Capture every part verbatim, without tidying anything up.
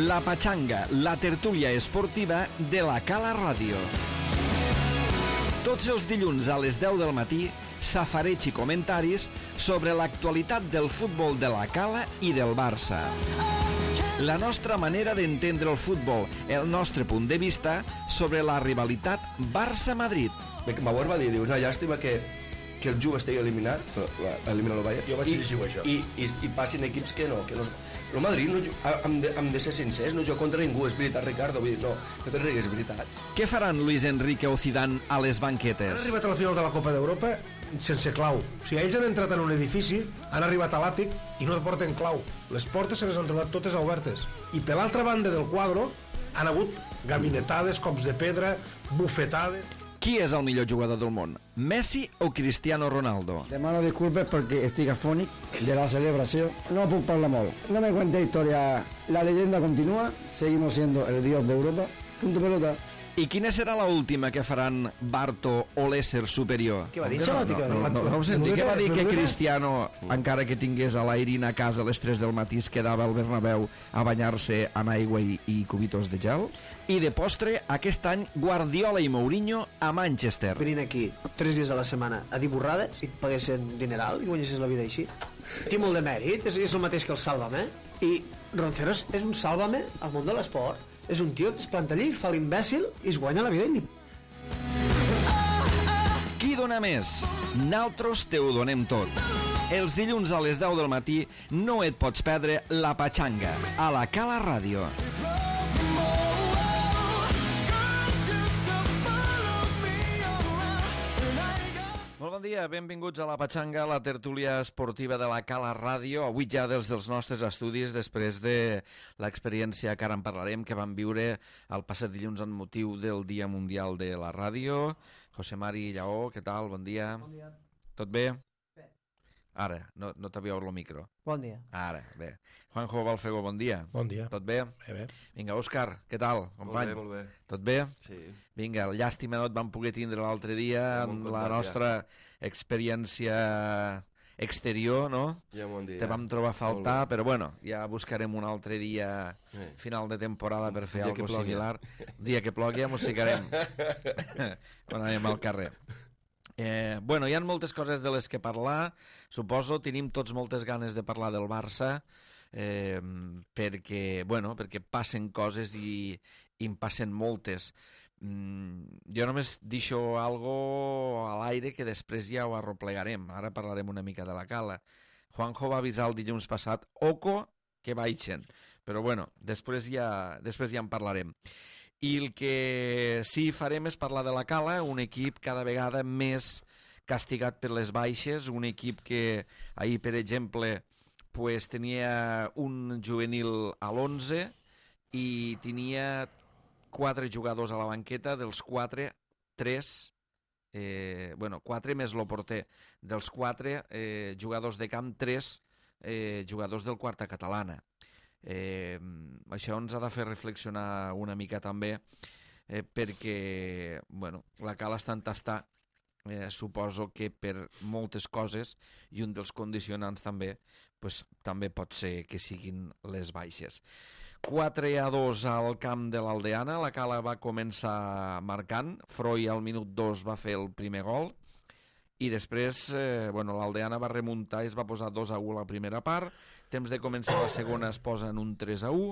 La Patxanga, la tertúlia esportiva de la Cala Ràdio. Tots els dilluns a les deu del matí, safareig i comentaris sobre l'actualitat del futbol de la Cala i del Barça. La nostra manera d'entendre el futbol, el nostre punt de vista sobre la rivalitat Barça-Madrid. Bauer va dir, diu, una llàstima que, que el Juve estigui eliminat, eliminar el Bayern, jo vaig llegir això. I, i, i passin equips que no, que no... El Madrid, no, hem, de, hem de ser sincers, no juga contra ningú, és veritat, Ricardo, vull dir, no, no te rigues, és veritat. Què faran Luis Enrique o Zidane a les banquetes? Han arribat a la final de la Copa d'Europa sense clau. O sigui, ells han entrat en un edifici, han arribat a l'àtic i no porten clau. Les portes se les han trobat totes obertes. I per l'altra banda del quadre han hagut gabinetades, cops de pedra, bufetades... Qui és el millor jugador del món? Messi o Cristiano Ronaldo? Demano disculpes perquè estic afònic de la celebració. No puc parlar molt. No me cuente historia. La leyenda continúa. Seguimos siendo el dios de Europa. Punto pelota. I quina serà la última que faran Barto o l'ésser superior? Què va dir? No, no, no, no, no ho senti. Què va dir que Cristiano, encara que tingués a l'Airin a casa a les tres del matí, es quedava al Bernabéu a banyar-se en aigua i, i cubitos de gel? I de postre, aquest any, Guardiola i Mourinho a Manchester. Venint aquí tres dies a la setmana a dir borrades i et paguessin dineral i guanyessis la vida així. Té molt de mèrit, és, és el mateix que el Sálvame. I Roncero és un Sálvame al món de l'esport. És un tio que es planta allí, fa l'imbècil i es guanya la vida i... Qui dona més? Naltros te ho donem tot. Els dilluns a les deu del matí no et pots perdre La Patxanga a la Cala Ràdio. Molt bon dia, benvinguts a La Patxanga, la tertúlia esportiva de la Cala Ràdio. Avui ja des dels nostres estudis, després de l'experiència que ara en parlarem, que vam viure el passat dilluns en motiu del Dia Mundial de la Ràdio. José Mari Lleó, què tal? Bon dia. Bon dia. Tot bé? Bé. Ara, no, no t'havia obert el micro. Bon dia. Ara, bé. Juanjo Balfego, bon dia. Bon dia. Tot bé? Bé, bé. Vinga, Òscar, què tal, company? Molt bé, molt bé. Tot bé? Sí. Vinga, llàstima no et vam poder tindre l'altre dia en la nostra experiència exterior, no? Ja m'ho han dit. Te vam trobar a faltar, però bueno, ja buscarem un altre dia Sí. final de temporada per fer dia que alguna plogui. similar. El dia que plogui ja mos ficarem quan anem al carrer. Eh, bueno, hi ha moltes coses de les que parlar, suposo, tenim tots moltes ganes de parlar del Barça, eh, perquè, bueno, perquè passen coses i, i en passen moltes. Mm, jo només deixo algo a l'aire que després ja ho arroplegarem. Ara parlarem una mica de la Cala. Juanjo va avisar el dilluns passat, oco, que baixen, però bueno, després ja, després ja en parlarem. I el que sí farem és parlar de la Cala, un equip cada vegada més castigat per les baixes, un equip que ahir, per exemple, pues, tenia un juvenil a l'onze i tenia quatre jugadors a la banqueta, dels quatre, tres, eh, bueno, quatre més el porter, dels quatre eh, jugadors de camp, tres eh, jugadors del quarta catalana. Eh, això ens ha de fer reflexionar una mica també, eh, perquè bueno, la Cala està en tastar, eh, suposo que per moltes coses, i un dels condicionants també pues, també pot ser que siguin les baixes. Quatre a dos al camp de l'Aldeana. La Cala va començar marcant, Froi al minut dos va fer el primer gol i després eh, bueno, l'Aldeana va remuntar i es va posar dos a u a la primera part. Temps de començar la segona es posa en un tres a u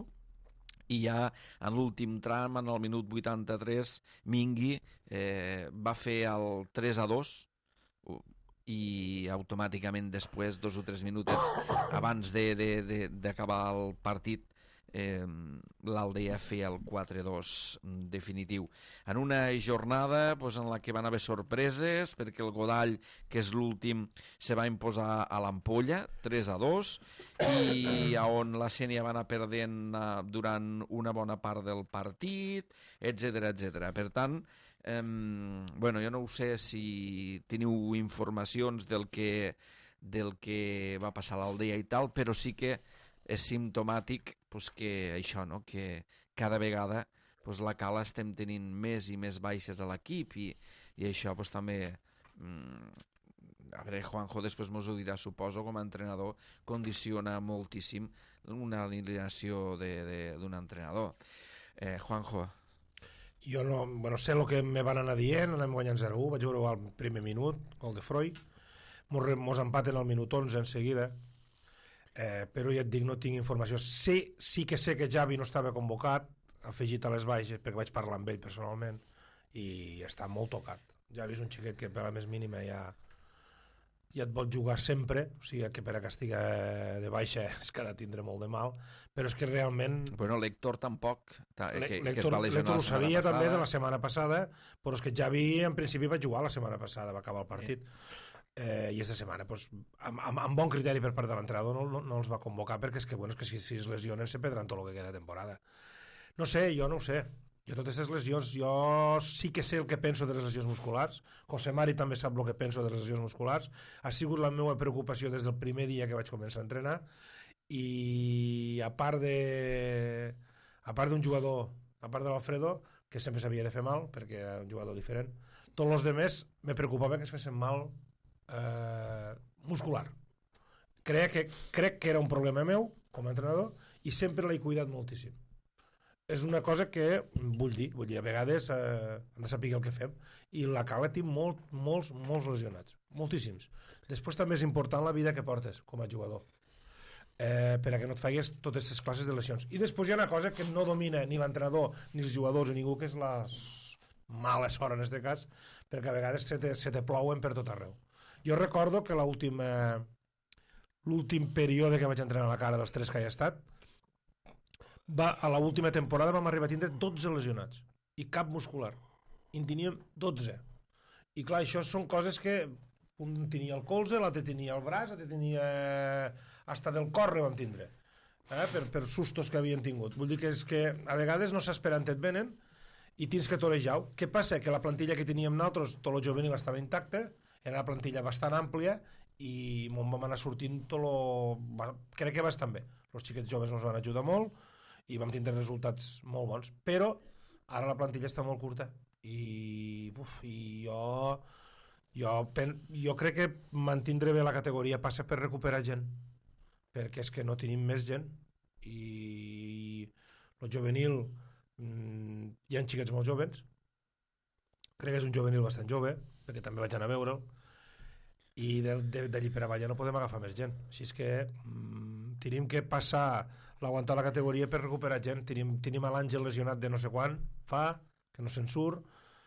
i ja en l'últim tram, en el minut vuitanta-tres, Mingui eh, va fer el tres a dos i automàticament després, dos o tres minutets abans d'acabar el partit, eh, l'Aldea feia el quatre a dos definitiu. En una jornada pues, en la que van haver sorpreses, perquè el Godall, que és l'últim, se va imposar a l'Ampolla, tres a dos, i on la Sénia va anar perdent uh, durant una bona part del partit, etcètera etcètera. Per tant, eh, bueno, jo no ho sé si teniu informacions del que, del que va passar a l'Aldea i tal, però sí que és simptomàtic pues, que això, no? Que cada vegada pues, la Cala estem tenint més i més baixes a l'equip i, i això pues, també mm, a veure, Juanjo després mos ho dirà, suposo, com a entrenador, condiciona moltíssim una alineació d'un entrenador. Eh, Juanjo. Jo no, bueno, sé el que me van anar dient, anem guanyant zero a u, vaig veure al primer minut, gol de Freud, mos, mos empaten al minut onze en seguida, eh, però ja et dic, no tinc informació. Sí, sí que sé que Xavi no estava convocat, afegit a les baixes, perquè vaig parlar amb ell personalment, i està molt tocat. Xavi és un xiquet que per la més mínima ja, ja et vol jugar sempre, o sigui que per a que estigui de baixa és que ha de tindre molt de mal, però és que realment... Bueno, l'Héctor tampoc, ta, que, L'Héctor, que es va lesionar ho la setmana sabia passada. també de la setmana passada, però és que Xavi en principi va jugar la setmana passada, va acabar el partit. Eh, I aquesta setmana, pues, amb, amb, amb bon criteri per part de l'entrenador, no, no, no els va convocar, perquè és que, bueno, és que si, si es lesionen se perdran tot el que queda de temporada. No sé, jo no ho sé. Jo totes aquestes lesions, jo sí que sé el que penso de les lesions musculars. José Mari també sap el que penso de les lesions musculars. Ha sigut la meva preocupació des del primer dia que vaig començar a entrenar. I a part de... a part d'un jugador, a part de l'Alfredo, que sempre s'havia de fer mal, perquè era un jugador diferent, tots els demés me preocupava que es fessin mal eh, muscular. Crec que, crec que era un problema meu, com a entrenador, i sempre l'he cuidat moltíssim. És una cosa que vull dir, vull dir, a vegades eh, hem de saber el que fem, i la Cala té molt, molts, molts lesionats, moltíssims. Després també és important la vida que portes com a jugador, eh, per a que no et faigues totes aquestes classes de lesions. I després hi ha una cosa que no domina ni l'entrenador, ni els jugadors, ni ningú, que és la mala sort en aquest cas, perquè a vegades se te, se te plouen per tot arreu. Jo recordo que l'últim l'últim període que vaig entrenar a la Cara dels tres que hi ha estat, va, a l'última temporada vam arribar a tindre dotze lesionats i cap muscular, i en teníem dotze, i clar, això són coses que un tenia el colze, l'altre tenia el braç, l'altre tenia hasta del cor vam tindre, eh? per, per sustos que havien tingut. Vull dir que és que a vegades no s'esperen, et venen i tens que torejar-ho. Què passa? Que la plantilla que teníem nosaltres, tot el juvenil estava intacte, era una plantilla bastant àmplia i m'on vam anar sortint tot lo... crec que bastant bé. Els xiquets joves ens van ajudar molt i vam tindre resultats molt bons, però ara la plantilla està molt curta i, uf, i jo, jo, pen, jo crec que mantindre bé la categoria passa per recuperar gent, perquè és que no tenim més gent i el juvenil mmm, hi ha xiquets molt joves, crec que és un juvenil bastant jove, perquè també vaig anar a veure'l, i d'allí per avall ja no podem agafar més gent, així és que mmm, tenim que passar l'aguantar la categoria per recuperar gent. Tenim, tenim a l'Àngel lesionat de no sé quan fa, que no se'n surt,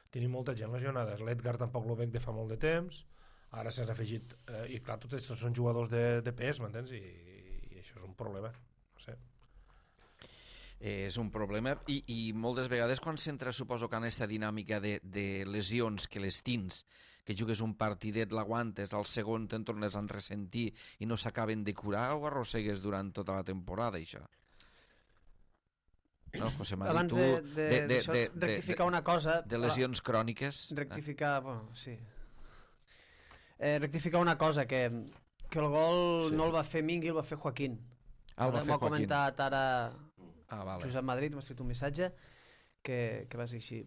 tenim molta gent lesionada, l'Edgar tampoc lo veig de fa molt de temps, ara s'ha afegit eh, i clar, tots aquests són jugadors de, de pes, m'entens? I, i això és un problema, no sé. És un problema i, i moltes vegades quan s'entra, suposo que en aquesta dinàmica de, de lesions que les tins, que jugues un partidet, l'aguantes, al segon te'n tornes a ressentir i no s'acaben de curar, o arrossegues durant tota la temporada, això? No, José Mari, abans tu... de, de, de, de, de, de rectificar de, una cosa... De lesions cròniques... Rectificar, bueno, sí. Eh, rectificar una cosa, que, que el gol sí. no el va fer Mingui, el va fer Joaquín. Ah, el va fer Joaquín. M'ho ha comentat ara ah, vale. Josep Madrid, m'ha escrit un missatge que, que va ser així.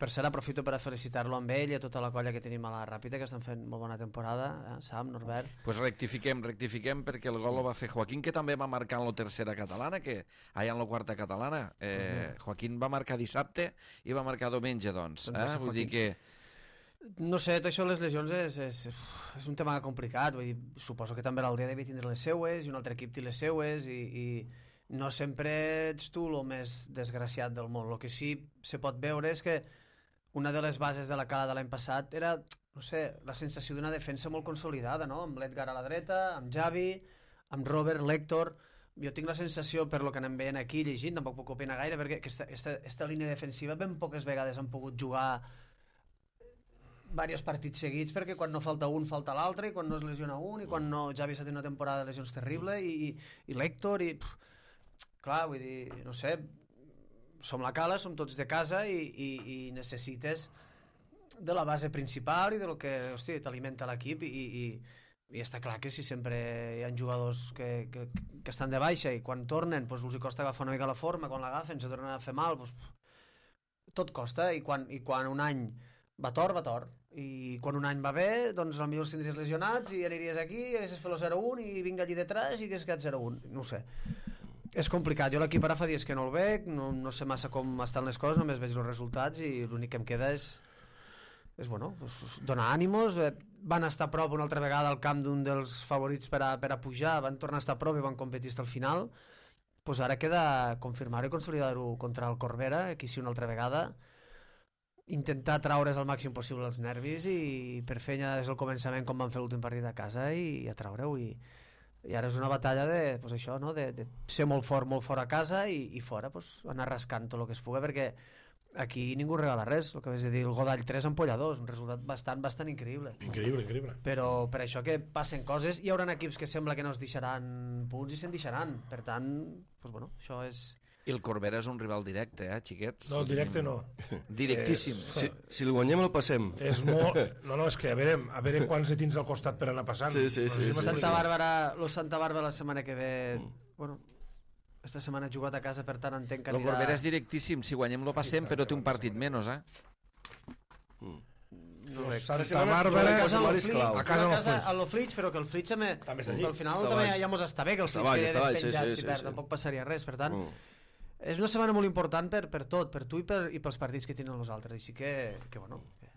Per cert, aprofito per a felicitar-lo amb ell i a tota la colla que tenim a la Ràpita, que estan fent molt bona temporada, eh? Sam, Norbert... Doncs pues rectifiquem, rectifiquem, perquè el gol el va fer Joaquín, que també va marcar en la tercera catalana, que allà en la quarta catalana. Eh, uh-huh. Joaquín va marcar dissabte i va marcar diumenge, doncs. Eh? Vull dir que... No sé, tot això de les lesions és, és, és un tema complicat. Vull dir, suposo que també l'Aldea devia tindre les seues i un altre equip té les seues i... i... no sempre ets tu el més desgraciat del món. El que sí se pot veure és que una de les bases de la Cala de l'any passat era, no sé, la sensació d'una defensa molt consolidada, no? Amb l'Edgar a la dreta, amb Xavi, amb Robert, l'Héctor... Jo tinc la sensació, per lo que anem veient aquí, llegint, tampoc puc opinar gaire, perquè aquesta, aquesta, aquesta línia defensiva ben poques vegades han pogut jugar diversos partits seguits, perquè quan no falta un, falta l'altre, i quan no es lesiona un, i quan no... Xavi s'ha tingut una temporada de lesions terrible, i, i, i l'Héctor, i... Pff, clar, vull dir, no sé... Som la Cala, som tots de casa i, i, i necessites de la base principal i de lo que, hosti, t'alimenta l'equip i, i, i està clar que si sempre hi ha jugadors que, que, que estan de baixa i quan tornen doncs els costa agafar una mica la forma, quan l'agafen se tornen a fer mal, doncs, tot costa i quan, i quan un any va tort, va tort. I quan un any va bé, doncs potser els tindries lesionats i aniries aquí, i haguessis fet el zero un i vinga allí detrás i hagués quedat zero un. No ho sé. És complicat. Jo l'equip ara fa dies que no el veig, no, no sé massa com estan les coses, només veig els resultats i l'únic que em queda és, és bueno, doncs, donar ànimos. Eh, van estar a prop una altra vegada al camp d'un dels favorits per a, per a pujar, van tornar a estar a prop i van competir fins al final. Pues ara queda confirmar-ho i consolidar-ho contra el Corbera, aquí sí una altra vegada, intentar traure's el màxim possible els nervis i per fer ja des del començament com van fer l'últim partit a casa i, i a treure-ho i, i ara és una batalla de, pues això, no? de, de ser molt fort, molt fort a casa i, i fora pues, anar rascant tot el que es pugui, perquè aquí ningú regala res, el que vas dir, el Godall tres ampolla dos, un resultat bastant, bastant increïble. Increïble, increïble. Però per això que passen coses, hi haurà equips que sembla que no es deixaran punts i se'n deixaran, per tant, pues bueno, això és... I el Corbera és un rival directe, eh, xiquets? No, directe no. Directíssim. És- Si, si el guanyem el passem. És molt... No, no, és que a veure, a veure quants hi tens al costat per anar passant. Sí, sí, No sé sí, si sí, m'explico. Santa Bàrbara, lo Santa Bàrbara la setmana que ve, bueno, esta setmana ha jugat a casa, per tant entenc que El anirà... Corbera és directíssim, si guanyem lo passem, però té un partit menys, eh? No veig. Santa setmana és Bàrbara... dues A casa setmanes al Flix, clau. a A casa al casa Flix. a lo Flix, però que el Flix també... També està allí. Al final Està també baix. ja mos està bé que el Està Flix baix, quedi està baix, sí, despenjat, sí, si sí, perd, sí. tampoc passaria res, per tant... Mm. És una setmana molt important per, per tot, per tu i, per, i pels partits que tenen els altres, així que, que bueno... Que...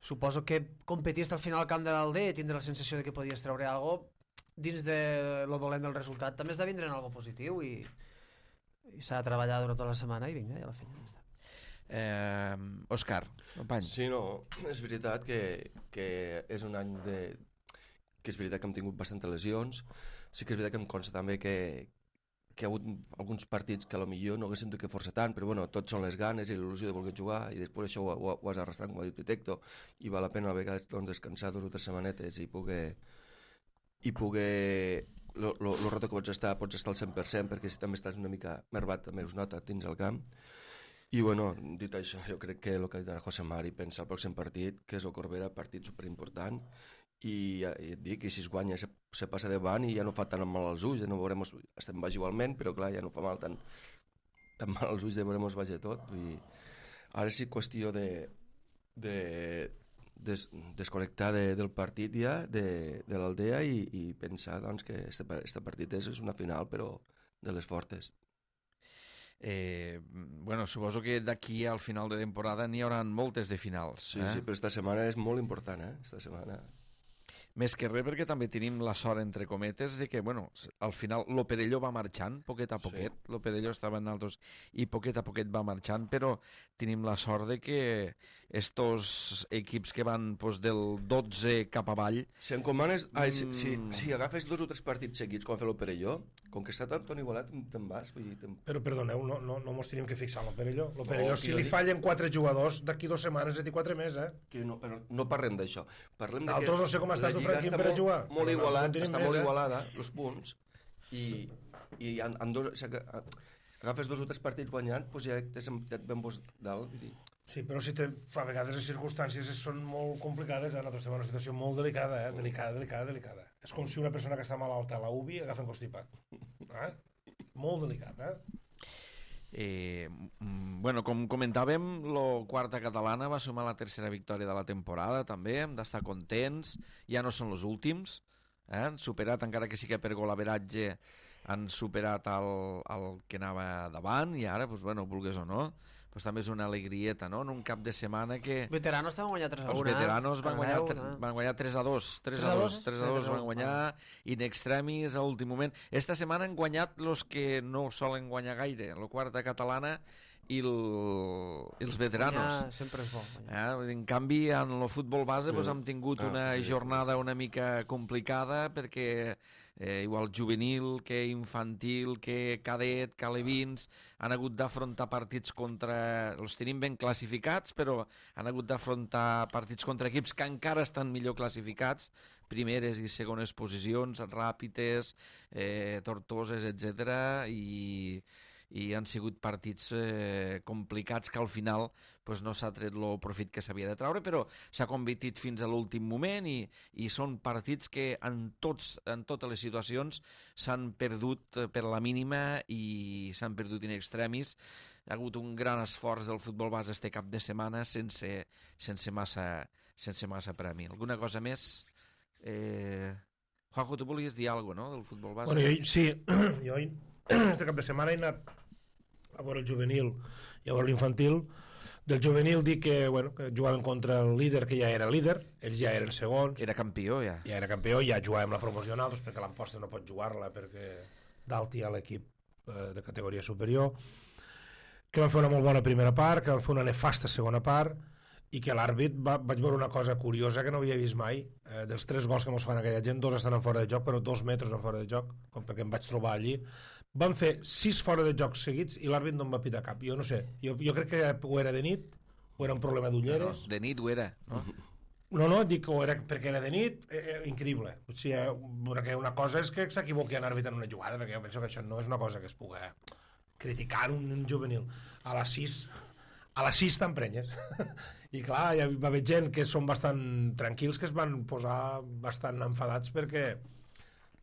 Suposo que competir fins al final al camp de l'Alder i tindre la sensació de que podies treure alguna cosa dins de lo dolent del resultat també has de vindre en algo positiu i, i s'ha de treballar durant tota la setmana i vinga, i a la feina ja està. eh Òscar, company. Sí, no, és veritat que, que és un any de... que és veritat que hem tingut bastantes lesions, sí que és veritat que em consta també que, que hi ha hagut alguns partits que a lo millor no haguessin tingut que forçar tant, però bueno, tots són les ganes i l'il·lusió de voler jugar i després això ho, ho, ho has arrastrat, com ha dit Pitecto, i val la pena a vegades doncs, descansar dues o tres setmanetes i poder i poder lo, lo, lo rato que pots estar, pots estar al cent per cent perquè si també estàs una mica mervat també us nota dins el camp. I bueno, dit això, jo crec que el que ha dit ara José Mari pensa el pròxim partit, que és el Corbera, partit superimportant, i, i et dic, i si es guanya se, se passa davant i ja no fa tan mal als ulls, ja no veurem, estem baix igualment, però clar, ja no fa mal tan, tan mal als ulls de veurem baix de tot. Vull dir, ara sí qüestió de, de des, desconnectar de, del partit ja, de, de l'Aldea i, i pensar doncs, que este, este partit és, és una final, però de les fortes. Eh, bueno, suposo que d'aquí al final de temporada n'hi haurà moltes de finals. Sí, eh? sí, però esta setmana és molt important, eh? Esta setmana... Més que res perquè també tenim la sort, entre cometes, de que, bueno, al final lo Perelló va marxant, poquet a poquet, sí. Lo Perelló estava en altres i poquet a poquet va marxant, però tenim la sort de que estos equips que van pues, del dotze cap avall... Si encomanes... Ai, si, si, si agafes dos o tres partits seguits, com va fer el Perelló, com que està tot igualat, te'n vas. Vull dir, te'n... Però perdoneu, no, no, no mos tenim que fixar en el Perelló. El Perelló, No, si jo li dic- fallen quatre jugadors, d'aquí dues setmanes et dic quatre més, eh? Que no, però no parlem d'això. Parlem de Nosaltres que no sé com estàs la tu, Lliga Franquín, està per a molt- jugar. Molt Però igualat, no tenim està més, molt eh? igualada, els punts, i, i en, en dos, si aga- agafes dos o tres partits guanyant, doncs ja t'has ja et ben post dalt. Vull dir. Sí, però si te, a vegades les circumstàncies són molt complicades, eh? Nosaltres estem en una situació molt delicada, eh? Delicada, delicada, delicada. És com si una persona que està malalta a la U B I agafa un constipat. Eh? Molt delicat, eh? Eh, mm, bueno, com comentàvem, la quarta catalana va sumar la tercera victòria de la temporada, també, hem d'estar contents, ja no són els últims, eh? Han superat, encara que sí que per golaveratge, han superat el, el que anava davant, i ara, doncs, bueno, vulgues o no, doncs també és una alegrieta, no? En un cap de setmana que... Veteranos estaven guanyant tres a Els un, eh? veteranos van guanyar, Cardeu, tre- eh? van guanyar tres a dos, tres a dos, tres a dos van guanyar, in extremis a últim moment. Esta setmana han guanyat els que no solen guanyar gaire, la quarta catalana i, el, i els veteranos. Guanyar sempre és bo. guanyar. Eh? En canvi, en el futbol base doncs, hem tingut Ah, una sí, jornada una mica complicada perquè eh, igual juvenil, que infantil, que cadet, que alevins, han hagut d'afrontar partits contra... Els tenim ben classificats, però han hagut d'afrontar partits contra equips que encara estan millor classificats, primeres i segones posicions, ràpides, eh, tortoses, etcètera, i i han sigut partits eh, complicats que al final pues, no s'ha tret el profit que s'havia de treure, però s'ha competit fins a l'últim moment i, i són partits que en, tots, en totes les situacions s'han perdut per la mínima i s'han perdut in extremis. Hi ha hagut un gran esforç del futbol base este cap de setmana sense, sense, massa, sense massa premi. Alguna cosa més? Eh... Juanjo, tu volies dir alguna cosa, no?, del futbol base? Bueno, jo, sí, jo este cap de setmana he anat a veure el juvenil i a veure l'infantil. Del juvenil dic que, bueno, que jugaven contra el líder, que ja era líder, ells ja eren segons. Era campió, ja. Ja era campió, ja jugàvem la promoció nosaltres, perquè l'Amposta no pot jugar-la, perquè dalt hi ha l'equip eh, de categoria superior, que van fer una molt bona primera part, que van fer una nefasta segona part, i que l'àrbit va, vaig veure una cosa curiosa que no havia vist mai. Eh, dels tres gols que ens fan aquella gent, dos estan en fora de joc, però dos metres en fora de joc, com perquè em vaig trobar allí. Van fer sis fora de joc seguits i l'àrbit no em va pitar cap. Jo no sé, jo, jo crec que o era de nit, o era un problema d'ulleres. No, de nit ho era, no? No, no, dic que o era perquè era de nit, eh, eh, increïble. O sigui, eh, una cosa és que s'equivoqui en àrbit en una jugada, perquè jo penso que això no és una cosa que es pugui criticar un, un juvenil. A les sis... A les sis t'emprenyes. I clar, hi va haver gent que són bastant tranquils, que es van posar bastant enfadats perquè...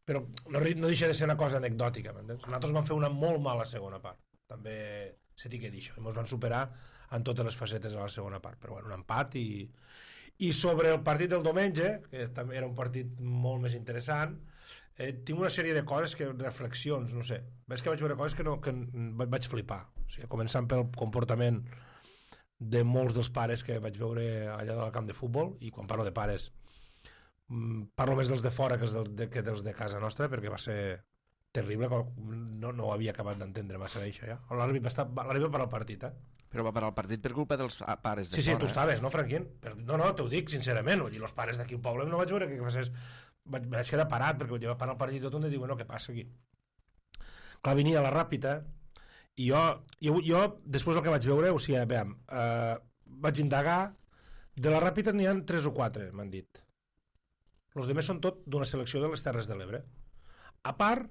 Però no, no deixa de ser una cosa anecdòtica, m'entens? Nosaltres vam fer una molt mala segona part. També se t'hi quedi això. I ens van superar en totes les facetes a la segona part. Però bueno, un empat i... I sobre el partit del diumenge, que també era un partit molt més interessant, eh, tinc una sèrie de coses, que reflexions, no sé. Ves que vaig veure coses que, no, que vaig flipar. O sigui, començant pel comportament de molts dels pares que vaig veure allà del camp de futbol, i quan parlo de pares parlo més dels de fora que, dels de, que dels de casa nostra, perquè va ser terrible, no, no ho havia acabat d'entendre massa bé això ja. L'àrbit va, estar, l'àrbit va parar el partit, eh? Però va parar el partit per culpa dels pares de sí, fora. Sí, tu estaves, no, Franquín? Però, no, no, t'ho dic sincerament, i els pares d'aquí al poble no vaig veure que passés, vaig, vaig quedar parat, perquè vaig parar el partit i tot on diu, bueno, què passa aquí? Clar, venia la ràpida. I jo, jo, jo, després del que vaig veure, o sigui, veiem, eh, vaig indagar, de la Ràpita n'hi ha tres o quatre, m'han dit. Els demés són tot d'una selecció de les Terres de l'Ebre. A part,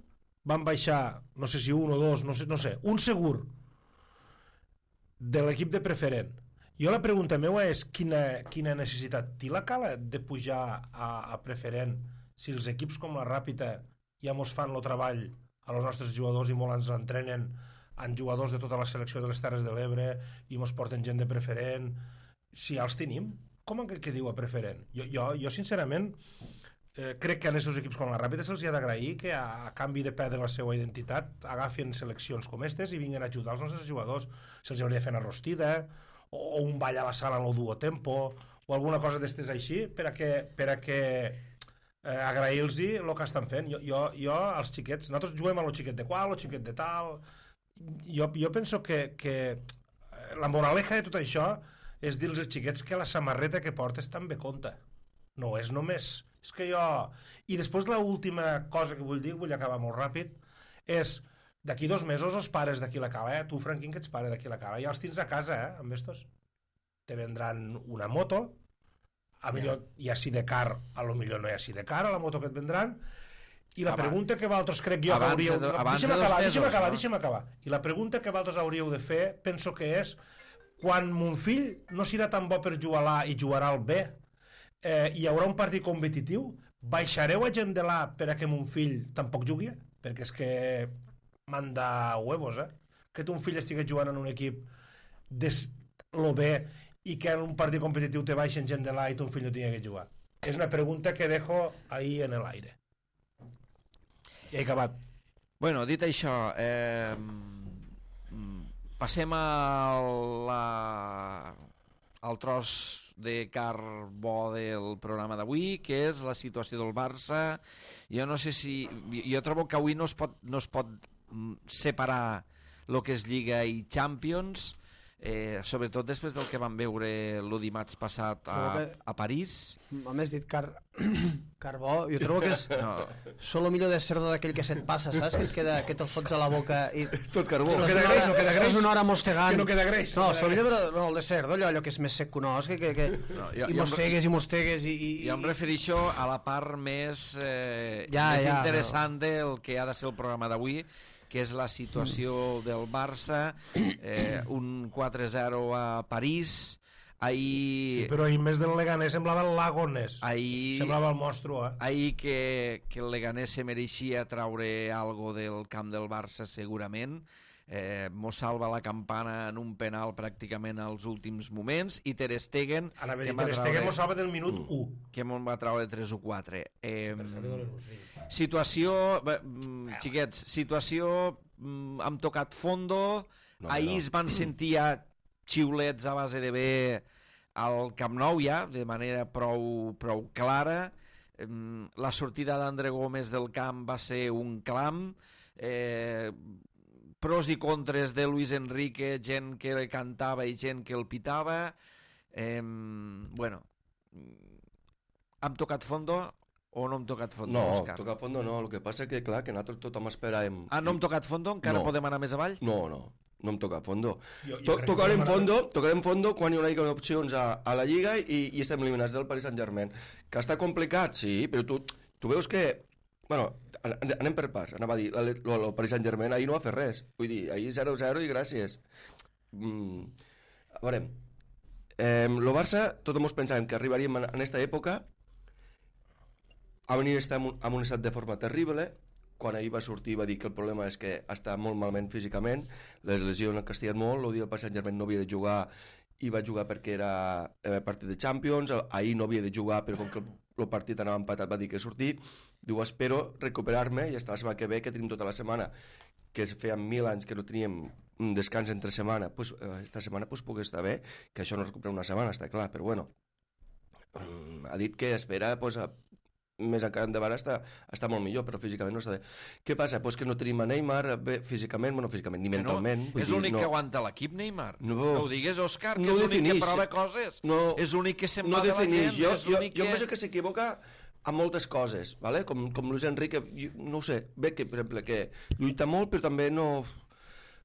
van baixar, no sé si un o dos, no sé, no sé un segur de l'equip de preferent. Jo la pregunta meva és quina, quina necessitat té la Cala de pujar a, a preferent si els equips com la Ràpita ja mos fan el treball a els nostres jugadors i molt ens entrenen en jugadors de tota la selecció de les Terres de l'Ebre i mos porten gent de preferent, si ja els tenim, com aquell que diu a preferent? Jo, jo, jo sincerament, eh, crec que a aquests equips com la Ràpida se'ls ha d'agrair que a, a canvi de perdre la seva identitat agafin seleccions com aquestes i vinguin a ajudar els nostres jugadors. Se'ls hauria de fer una rostida, o, o un ball a la sala en el duo tempo, o alguna cosa d'estes així, per a que, per a que eh, agrair-los el que estan fent. Jo, jo, jo, els xiquets, nosaltres juguem a lo xiquet de qual, lo xiquet de tal... Jo, jo penso que, que la moraleja de tot això és dir als xiquets que la samarreta que portes també compta. No és només... És que jo... I després l'última cosa que vull dir, vull acabar molt ràpid, és d'aquí dos mesos els pares d'aquí la Cala, eh? Tu, Franquín, que ets pare d'aquí la Cala, ja els tens a casa, eh? Amb estos. Te vendran una moto, a millor hi ha sidecar, a lo millor no hi ha sidecar, a la moto que et vendran. I la abans, pregunta que vosaltres crec jo que hauríeu... De, deixa'm acabar, deixa'm acabar, no? deixa'm acabar. I la pregunta que vosaltres hauríeu de fer, penso que és, quan mon fill no serà tan bo per jugar a l'A i jugarà al B, eh, hi haurà un partit competitiu, baixareu a gent de l'A per a que mon fill tampoc jugui? Perquè és que manda huevos, eh? Que ton fill estigui jugant en un equip de lo B i que en un partit competitiu te baixen gent de l'A i ton fill no tingui que jugar. És una pregunta que dejo ahí en el aire. I he acabat. Bueno, dit això, eh, passem a la, al tros de carbó del programa d'avui, que és la situació del Barça. Jo no sé si... Jo trobo que avui no es pot, no es pot separar el que és Lliga i Champions, eh, sobretot després del que vam veure el dimarts passat a, a París. A més dit car... carbó, jo trobo que és no. Solo millor de cerdo d'aquell que se't passa, saps? Que et queda, que te'l fots a la boca i... Tot carbó. No queda greix, no queda greix. Estàs una hora mostegant. Que no queda greix. No, solo millor, però no, el de cerdo, allò, allò que és més sec que un os, que, que, que... No, jo, i mostegues, i mostegues, i... i... Jo em refereixo a la part més, eh, ja, més ja, interessant no. del que ha de ser el programa d'avui, que és la situació mm. del Barça, eh, un quatre zero a París. Ahir... Sí, però ahir més del Leganés semblava el Lagonés. Ahir... Semblava el monstru, eh? Ahir que, que el Leganés se mereixia traure algo del camp del Barça, segurament. eh, mos salva la campana en un penal pràcticament als últims moments, i Ter Stegen Anava a que dir, em va Ter traure- Stegen mos salva del minut u. que me'n va treure tres o quatre. Eh, Tercer de l'il·lusió. situació, bé, mm, xiquets, situació, mm, hem tocat fondo, No, ahir no. es van sentir ja xiulets a base de bé al Camp Nou ja, de manera prou, prou clara. Em, La sortida d'André Gómez del camp va ser un clam, eh, pros i contres de Luis Enrique, gent que le cantava i gent que el pitava. Eh, bueno, hem tocat fondo o no hem tocat fondo, No, Òscar? tocar fondo no, el que passa que, clar, que nosaltres tothom esperàvem... Ah, no hem tocat fondo? Encara No. podem anar més avall? No, no, no hem tocat fondo. Jo- jo To crec que tocarem podem anar- fondo, tocarem fondo quan hi haurà opcions a, a la Lliga i, i estem eliminats del Paris Saint-Germain. Que està complicat, sí, però tu, tu veus que... Bueno, an- anem per parts. Anava a dir, el, el Paris Saint-Germain ahir no va fer res. Vull dir, ahir zero zero i gràcies. Mm, a veure, eh, el Barça, tothom ens pensàvem que arribaríem en aquesta època a venir a estar en un, en un estat de forma terrible. Quan ahir va sortir va dir que el problema és que està molt malament físicament, les lesions el castiguen molt, el dia del Paris Saint-Germain no havia de jugar i va jugar perquè era eh, partit de Champions, ahir no havia de jugar però com que el, el partit anava empatat va dir que sortir, diu espero recuperar-me i està la setmana que ve que tenim tota la setmana, que feien mil anys que no teníem un descans entre setmana, pues, eh, esta setmana pues, pugui estar bé, que això no recupera una setmana, està clar, però bueno, mm, ha dit que espera pues, a més encara endavant està, està molt millor, però físicament no està bé. Què passa? Pues que no tenim a Neymar bé, físicament, bueno, físicament, ni Que no, mentalment. vull és dir, l'únic no. que aguanta l'equip, Neymar. No. No ho digues, Òscar, que No és l'únic que definix. prova coses. No, És l'únic que se'n no va de la defineix. gent. Jo, és jo, l'únic jo em que... penso que s'equivoca amb moltes coses, ¿vale? com, com Luis Enrique, jo, no ho sé, bé que, per exemple, que lluita molt, però també no...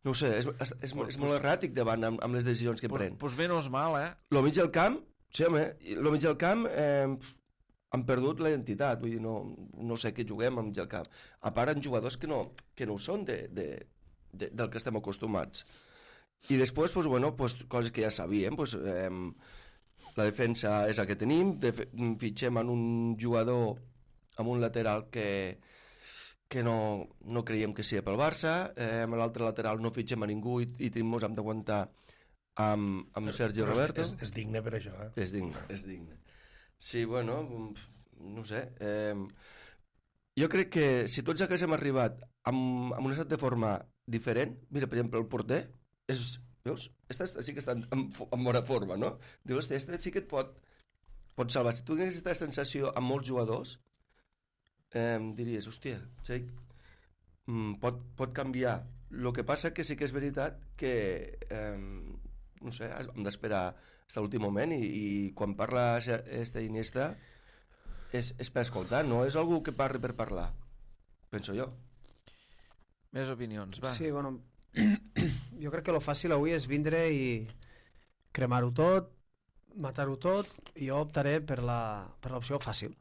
No ho sé, és, és, és, és molt erràtic davant amb, amb les decisions que Pues, pren. pues menys mal, eh? Lo mig del camp, sí, home, lo mig del camp eh, han perdut la identitat, vull dir, no, no sé què juguem al mig del camp. A part, en jugadors que no, que no ho són de, de, de, del que estem acostumats. I després, pues, bueno, pues, coses que ja sabíem, pues, eh, la defensa és la que tenim, de, fitxem en un jugador, amb un lateral que, que no, no creiem que sigui pel Barça, eh, amb l'altre lateral no fitxem a ningú i, i tenim, ens hem d'aguantar amb, amb Sergio Però Roberto. És, és digne per això, eh? És digne, és digne. Sí, bueno, no sé. Eh, jo crec que si tots haguéssim arribat amb, amb un estat de forma diferent, mira, per exemple, el porter, és, veus? Esta, esta sí que està en, en bona forma, no? Dius, hòstia, esta sí que et pot, pot salvar. Si tu tingués aquesta sensació amb molts jugadors, eh, diries, hòstia, sí, pot, pot canviar. El que passa que sí que és veritat que, eh, no sé, hem d'esperar fins a l'últim moment i, i quan parla este Iniesta és, és per escoltar, no és algú que parli per parlar, penso jo. Més opinions, va. Sí, bueno, jo crec que lo fàcil avui és vindre i cremar-ho tot, matar-ho tot, i jo optaré per la per l'opció fàcil,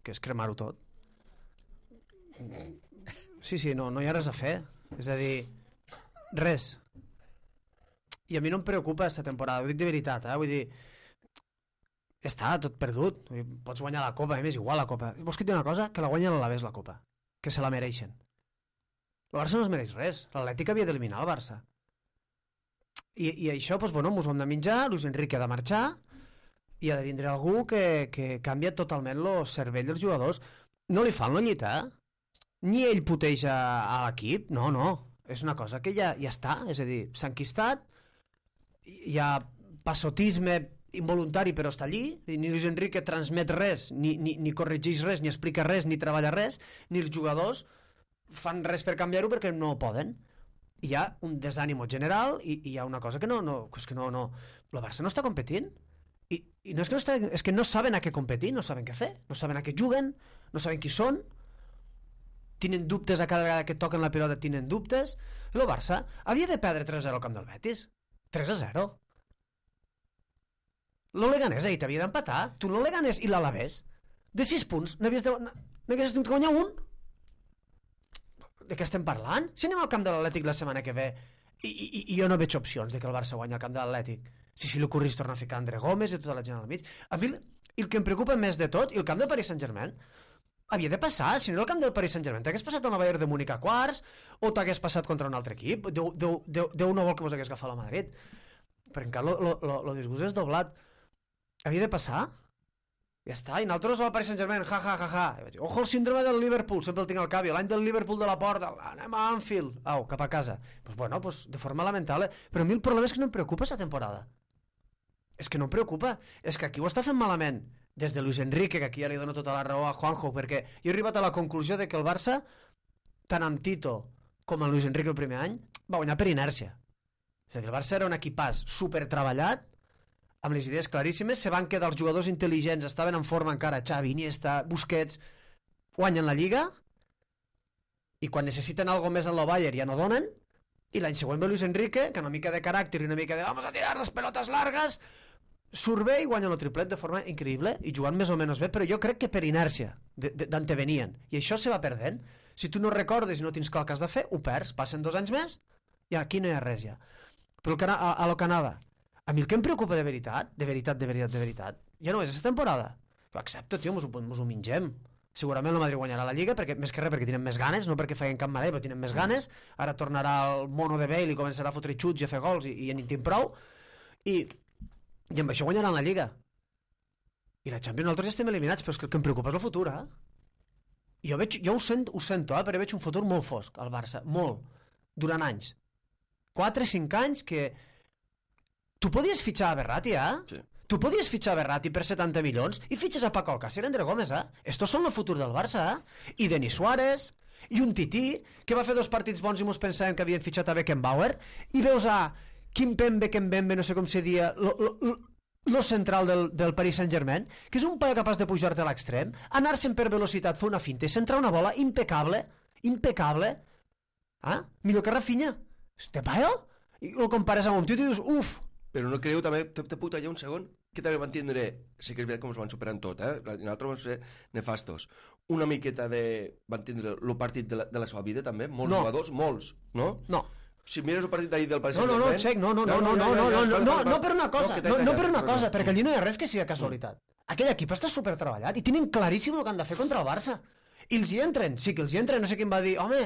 que és cremar-ho tot. Sí, sí, no, no hi ha res a fer. És a dir, res. I a mi no em preocupa aquesta temporada, ho dic de veritat, eh? Vull dir, ja està, tot perdut. Vull dir, pots guanyar la Copa, a mi m'és igual la Copa. Vols que et digui una cosa? Que la guanya l'Alavés, la Copa. Que se la mereixen. El Barça no es mereix res. L'Atlètic havia d'eliminar el Barça. I, i això, doncs, bueno, mos ho hem de menjar, Luis Enrique ha de marxar, i ha de vindre algú que, que canvia totalment el cervell dels jugadors. No li fan la llita, ni ell puteja a l'equip, no, no. És una cosa que ja, ja està, és a dir, s'ha enquistat, hi ha passotisme involuntari però està allí, i ni Luis Enrique transmet res, ni, ni, ni corregeix res, ni explica res, ni treballa res, ni els jugadors fan res per canviar-ho perquè no poden. Hi ha un desànimo general i, i hi ha una cosa que no, no, és que no, no, el Barça no està competint i, i no és que no està, és que no saben a què competir, no saben què fer, no saben a què juguen, no saben qui són, tenen dubtes a cada vegada que toquen la pilota, tenen dubtes. El Barça havia de perdre tres a zero al camp del Betis, tres a zero. L'Oleganès ahir t'havia d'empatar, tu l'Oleganès i l'Alavés de sis punts n'havies de, n'havies de guanyar un. De què estem parlant? Si anem al camp de l'Atlètic la setmana que ve i, i, i jo no veig opcions de que el Barça guanyi al camp de l'Atlètic, si si l'Ocorris torna a ficar André Gómez i tota la gent al mig, a mi el, el que em preocupa més de tot, i el camp de Paris Saint-Germain, havia de passar, si no era el camp del Paris Saint-Germain t'hagués passat al Bayern de Múnich a quarts o t'hagués passat contra un altre equip. Déu, Déu, Déu, Déu no vol que vos hagués agafat la Madrid, però encara el disgust és doblat. Havia de passar, ja està, i nosaltres al Paris Saint-Germain, ja, ja, ja, ja. Ojo el síndrome del Liverpool, sempre el tinc al cap, l'any del Liverpool de la Porta, anem a Anfield, au, cap a casa. Pues bueno, pues de forma lamentable, però a mi el problema és que no em preocupa aquesta temporada. És que no em preocupa, és que aquí ho està fent malament, des de Luis Enrique, que aquí ja li dono tota la raó a Juanjo, perquè jo he arribat a la conclusió de que el Barça, tant amb Tito com amb Luis Enrique el primer any, va guanyar per inèrcia. És a dir, el Barça era un equipàs supertreballat, amb les idees claríssimes, se van quedar els jugadors intel·ligents, estaven en forma encara, Xavi, Iniesta, Busquets, guanyen la Lliga, i quan necessiten algo més en el Bayern ja no donen, i l'any següent ve Luis Enrique, que una mica de caràcter i una mica de vamos a tirar les pelotes largues, surt bé i guanyen el triplet de forma increïble i jugant més o menys bé, però jo crec que per inèrcia d'antevenien, i això se va perdent. Si tu no recordes i no tens clar el que has de fer, ho perds, passen dos anys més i aquí no hi ha res ja. Però a, a, a lo Canadà, a mi el que em preocupa de veritat, de veritat, de veritat, de veritat, ja no és aquesta temporada. Accepta, tio, mos ho, mos ho mingem. Segurament el Madrid guanyarà la Lliga, perquè, més que res perquè tenen més ganes, no perquè feien cap merda, però tenen més ganes. Ara tornarà el mono de Bale i començarà a fotre xuts i a fer gols i, i ja n'hi tinc prou. I i amb això guanyaran la Lliga i la Champions. Nosaltres ja estem eliminats, però és que el que em preocupa és el futur, eh? Jo, veig, jo ho, sent, ho sento, eh? Però veig un futur molt fosc al Barça, molt, durant anys, quatre cinc anys que tu podies fitxar a Berratti, eh? Sí. Tu podies fitxar a Berratti per setanta milions i fitxes a Paco Alcácer i André Gómez, eh? Estos són el futur del Barça, eh? I Denis Suárez i un Tití que va fer dos partits bons i mos pensàvem que havien fitxat a Beckenbauer, i veus a Kimpembe, Kimpembe, no sé com se dia, lo, lo, lo, lo central del, del Paris Saint-Germain, que és un paio capaç de pujar-te a l'extrem, anar-se'n per velocitat, fer una finta i centrar una bola impecable, impecable, ah? Millor que Rafinha. Este paio? I el compares amb un tio i dius, uf. Però no creieu també, te, te puta ja un segon, que també van tindre, sí que és veritat com es van superant tot, eh? Nosaltres vam ser nefastos. Una miqueta de... van tindre el partit de la, de la seva vida també, molts no. jugadors, molts, no? No. Si mires el partit d'ahir del Paris no, no, no, Xec, no, no, no, no, no, no, no, no, no, no per una cosa, no, no per una cosa, perquè allí no hi ha res que sigui casualitat. Aquell equip està supertreballat i tenen claríssim el que han de fer contra el Barça. I els hi entren, sí que els hi entren, no sé qui em va dir, home,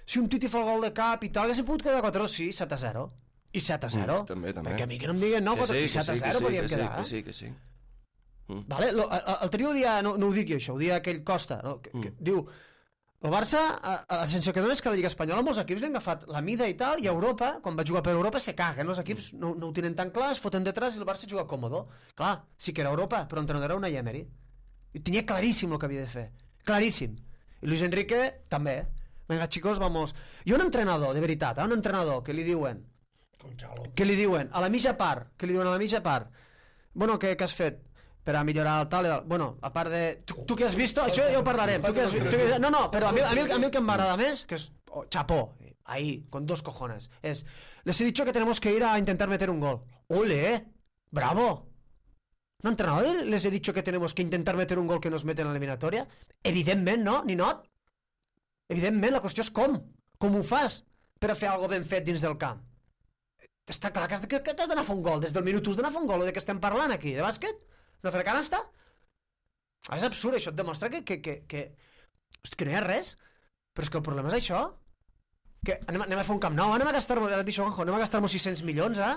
si un Titi fa el gol de cap i tal, que s'ha pogut quedar quatre dos, sí, set a zero. I set a zero. Mm, també, també. Perquè a mi que no em diguin no, i set a zero podíem quedar. Que sí, que sí, que sí. Mm. Vale, lo, el trio dia, no, no ho dic jo això, ho dia aquell Costa, no? que, que, mm. diu, el Barça, a, a la sensació que dona és que la Lliga Espanyola molts equips li han agafat la mida i tal, i a Europa, quan va jugar per Europa, se caguen, els equips no, no ho tenen tan clar, es foten detrás i el Barça juga còmodo. Clar, sí que era Europa, però entrenador era una Emery. I tenia claríssim el que havia de fer, claríssim. I Luis Enrique també. Venga, chicos, vamos. I un entrenador, de veritat, eh? un entrenador que li diuen, que li diuen, a la mitja part, que li diuen a la mitja part, bueno, què, què has fet? Per a millorar el tal, bueno, a part de... Tu, tu que has vist, això ja ho parlarem. Tu que has, tu que... No, no, però a mi, a mi, a mi el que m'agrada més, que és oh, chapó, ahí, con dos cojones, es, les he dicho que tenemos que ir a intentar meter un gol. ¡Ole! ¡Bravo! ¿No, entrenador? Les he dicho que tenemos que intentar meter un gol que nos meten en la eliminatoria? Evidentment, no? Ninot? Evidentment, la qüestió és com. Com ho fas per a fer alguna ben fet dins del camp? Està clar que has, que, que has d'anar a fer un gol. Des del minut u has d'anar a fer un gol. O de què estem parlant aquí? De bàsquet? No fer canasta? És absurd, això et demostra que, que, que, que, hosti, que no hi ha res. Però és que el problema és això. Que anem, anem a fer un camp nou, anem a gastar-nos, ara et dic, anem a gastar-nos sis-cents milions, eh?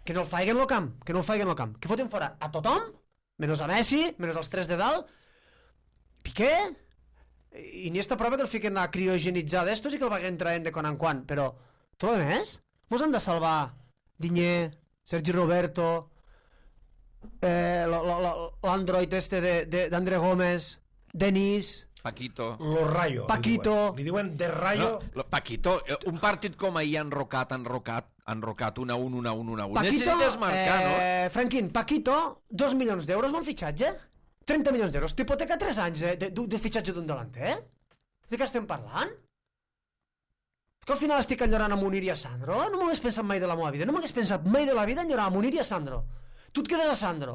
Que no el faiguen el camp, que no el faiguen el camp. Que foten fora a tothom, menys a Messi, menys als tres de dalt. Piqué? I ni esta prova que el fiquen a criogenitzar d'estos i que el vaguen traient de quan en quan. Però, tot el més, mos han de salvar Diñé, Sergi Roberto... Eh, l'android este d'André Gómez, Denis, Paquito, Lo Rayo, Paquito, li diuen, li diuen de Rayo. No, Paquito, un partit com ahir enrocat, enrocat, enrocat, un a un, un a un, un a un. Paquito, necessites marcar, no? Eh, Franquín, Paquito, dos milions d'euros bon fitxatge, trenta milions d'euros, t'hipoteca tres anys de, de, de fitxatge d'un delanter? De què estem parlant? Que al final estic enllorant a Munir i a Sandro? No m'ho hagués pensat mai de la meva vida, no m'hagués pensat mai de la vida enllorar a Munir i a Sandro. Tu et quedes a Sandro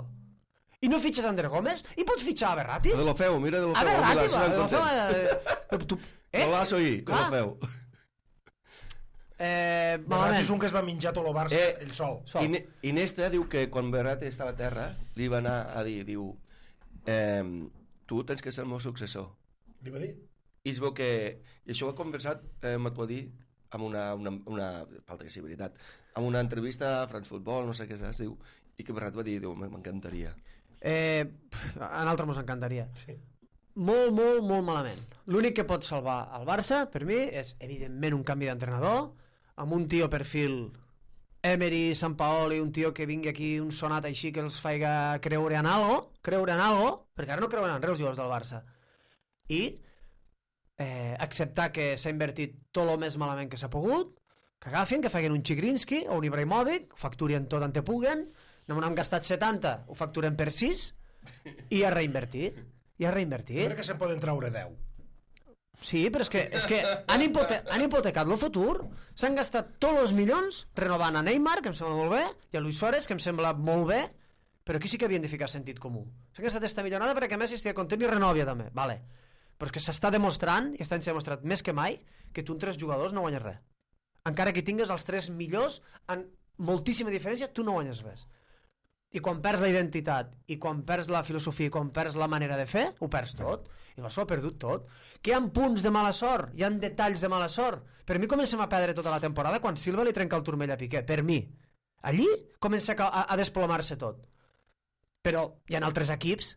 i no fitxes a André Gómez i pots fitxar a Berratti? A Deulofeu, mira Deulofeu. A Berratti, va, a Deulofeu. Eh? Golazo ahir, Deulofeu. Eh, Berratti és un que es va menjar tot el Barça, eh, ell sol. sol. I, Iniesta diu que quan Berratti estava a terra li va anar a dir, diu, eh, tu tens que ser el meu successor. Li va dir? I es veu que... I això ho he conversat, eh, m'ho va dir, amb una, una, una... falta que sigui veritat, amb una entrevista a France Football, no sé què es diu, i que Bernat va dir, diu, m'encantaria. Eh, pff, a nosaltres mos encantaria. Sí. Molt, molt, molt malament. L'únic que pot salvar el Barça, per mi, és evidentment un canvi d'entrenador, amb un tio perfil Emery, Sampaoli, un tio que vingui aquí un sonat així que els faiga creure en algo, creure en algo, perquè ara no creuen en res els jugadors del Barça. I eh, acceptar que s'ha invertit tot el més malament que s'ha pogut, que agafin, que facin un Chigrinsky o un Ibrahimovic, ho facturien tot on te puguen, no m'han gastat setanta, ho facturen per sis, i ha reinvertit. I ha Jo reinvertit. crec que se'n poden treure deu. Sí, però és que, és que han, hipote han hipotecat el futur, s'han gastat tots els milions renovant a Neymar, que em sembla molt bé, i a Luis Suárez, que em sembla molt bé, però aquí sí que havien de ficar sentit comú. S'han gastat esta millonada perquè Messi estigui content i renovi també, vale. Però és que s'està demostrant, i està demostrat més que mai, que tu amb tres jugadors no guanyes res. Encara que tingues els tres millors, en moltíssima diferència, tu no guanyes res. I quan perds la identitat, i quan perds la filosofia, i quan perds la manera de fer, ho perds tot. I el Barça ho ha perdut tot. Que hi ha punts de mala sort, hi ha detalls de mala sort. Per mi comencem a perdre tota la temporada quan Silva li trenca el turmell a Piqué. Per mi. Allí comença a, a desplomar-se tot. Però hi ha altres equips,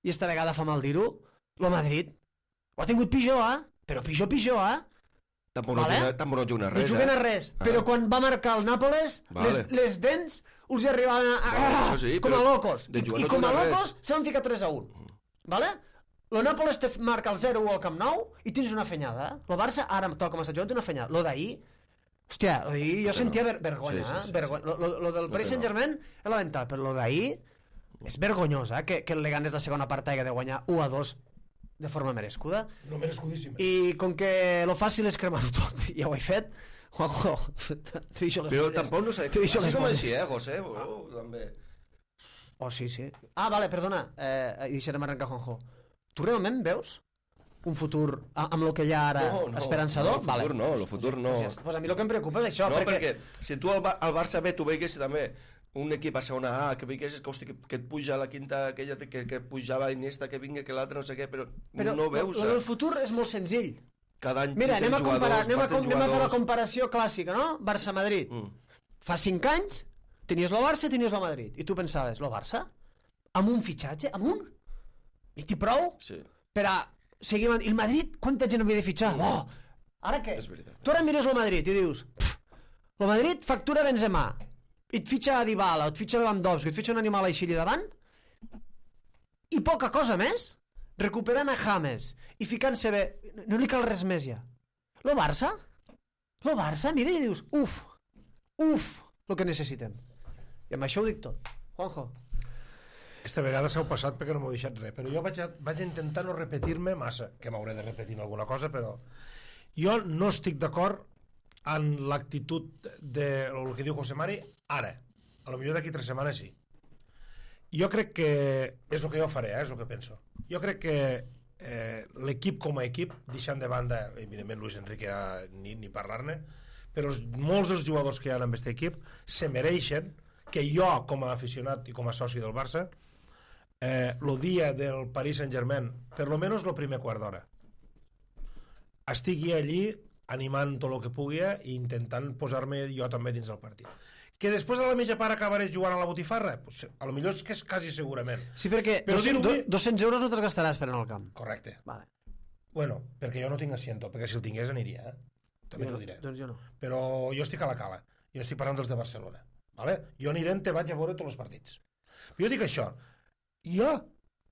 i esta vegada fa mal dir-ho, el Madrid ho ha tingut pitjor, eh? Però pitjor, pitjor, eh? Tampoc no, Vale. juguen, tampoc no juguen a res, No juguen eh? a res, Ah. però quan va marcar el Nàpoles, Vale. les, les dents us hi arribaven a, a, Vale, això sí, com a però locos. de I, jugar i no com a juguen a res. locos se van ficar tres a un. Vale? El Nàpoles te marca el zero u al Camp Nou i tens una fenyada. Eh? El Barça, ara, tal com està jugant, té una fenyada. Lo d'ahir, hòstia, lo d'ahir jo No té sentia no. ver vergonya. Sí, sí, eh? sí, Vergo lo, lo, lo del No Paris té no. Saint-Germain és lamentable, però lo d'ahir és vergonyós, eh? que, que el Leganés la segona part hagi de guanyar u a dos de forma merescuda. No merescudíssima. I com que lo fàcil és cremar-ho tot, ja ho he fet, Juanjo, t'he dit les Però molles. tampoc no sé... T'he dit Així les com molles. així, eh, José? Oh, també. Oh, sí, sí. Ah, vale, perdona, eh, i deixarem arrencar Juanjo. Tu realment veus un futur a- amb el que hi ha ara No, no, esperançador? no, el futur vale. no, el futur no. Pues, pues, pues a mi el que em preocupa és això, No, perquè... perquè si tu al, Ba- al Barça B tu veiguessis també un equip a segona A, que veiguessis que, hosti, que, que et puja a la quinta, aquella que, que pujava Iniesta, que vinga, que l'altre no sé què, però, Però no veus, el, el eh? del futur és molt senzill. Cada any Mira, anem a, quinze comparar, jugadors, anem, a, baten com- anem a fer la jugadors. comparació clàssica, no? Barça-Madrid. Mm. Fa cinc anys tenies el Barça i tenies el Madrid. I tu pensaves, el Barça? Amb un fitxatge? Amb un? I t'hi prou? Sí, Per a seguir... amb- I el Madrid, quanta gent havia de fitxar? Mm. Oh, ara què? és veritat. Tu ara mires el Madrid i dius, el Madrid factura Benzema, i et fitxa Dybala, o et fitxa Lewandowski, et fitxa un animal així allà davant, i poca cosa més, recuperant a James i ficant-se bé, no li cal res més ja. Lo Barça? Lo Barça, mira i dius, uf, uf, el que necessitem. I amb això ho dic tot. Juanjo. Aquesta vegada s'heu passat perquè no m'heu deixat res, però jo vaig, a, vaig a intentar no repetir-me massa, que m'hauré de repetir en alguna cosa, però jo no estic d'acord en l'actitud de el que diu José Mari ara. A lo millor d'aquí tres setmanes sí. Jo crec que és el que jo faré, eh, és el que penso. Jo crec que eh, l'equip com a equip, deixant de banda, evidentment Luis Enrique ja, ni, ni parlar-ne, però els, molts dels jugadors que hi ha en aquest equip se mereixen que jo, com a aficionat i com a soci del Barça, eh, el dia del Paris Saint-Germain, per lo menos el primer quart d'hora, estigui allí animant tot el que pugui i intentant posar-me jo també dins del partit. Que després a la mitja part acabaré jugant a la botifarra? Pues, a lo millor és que és quasi segurament. Sí, perquè Però dos, dir-ho do, bé- dos-cents euros no te'ls gastaràs per anar al camp. Correcte. Vale. Bueno, perquè jo no tinc asiento, perquè si el tingués aniria, eh? També Jo t'ho no, diré. doncs jo no. Però jo estic a la cala. Jo no estic parlant dels de Barcelona. Vale? Jo aniré te vaig a veure tots els partits. Però jo dic això. Jo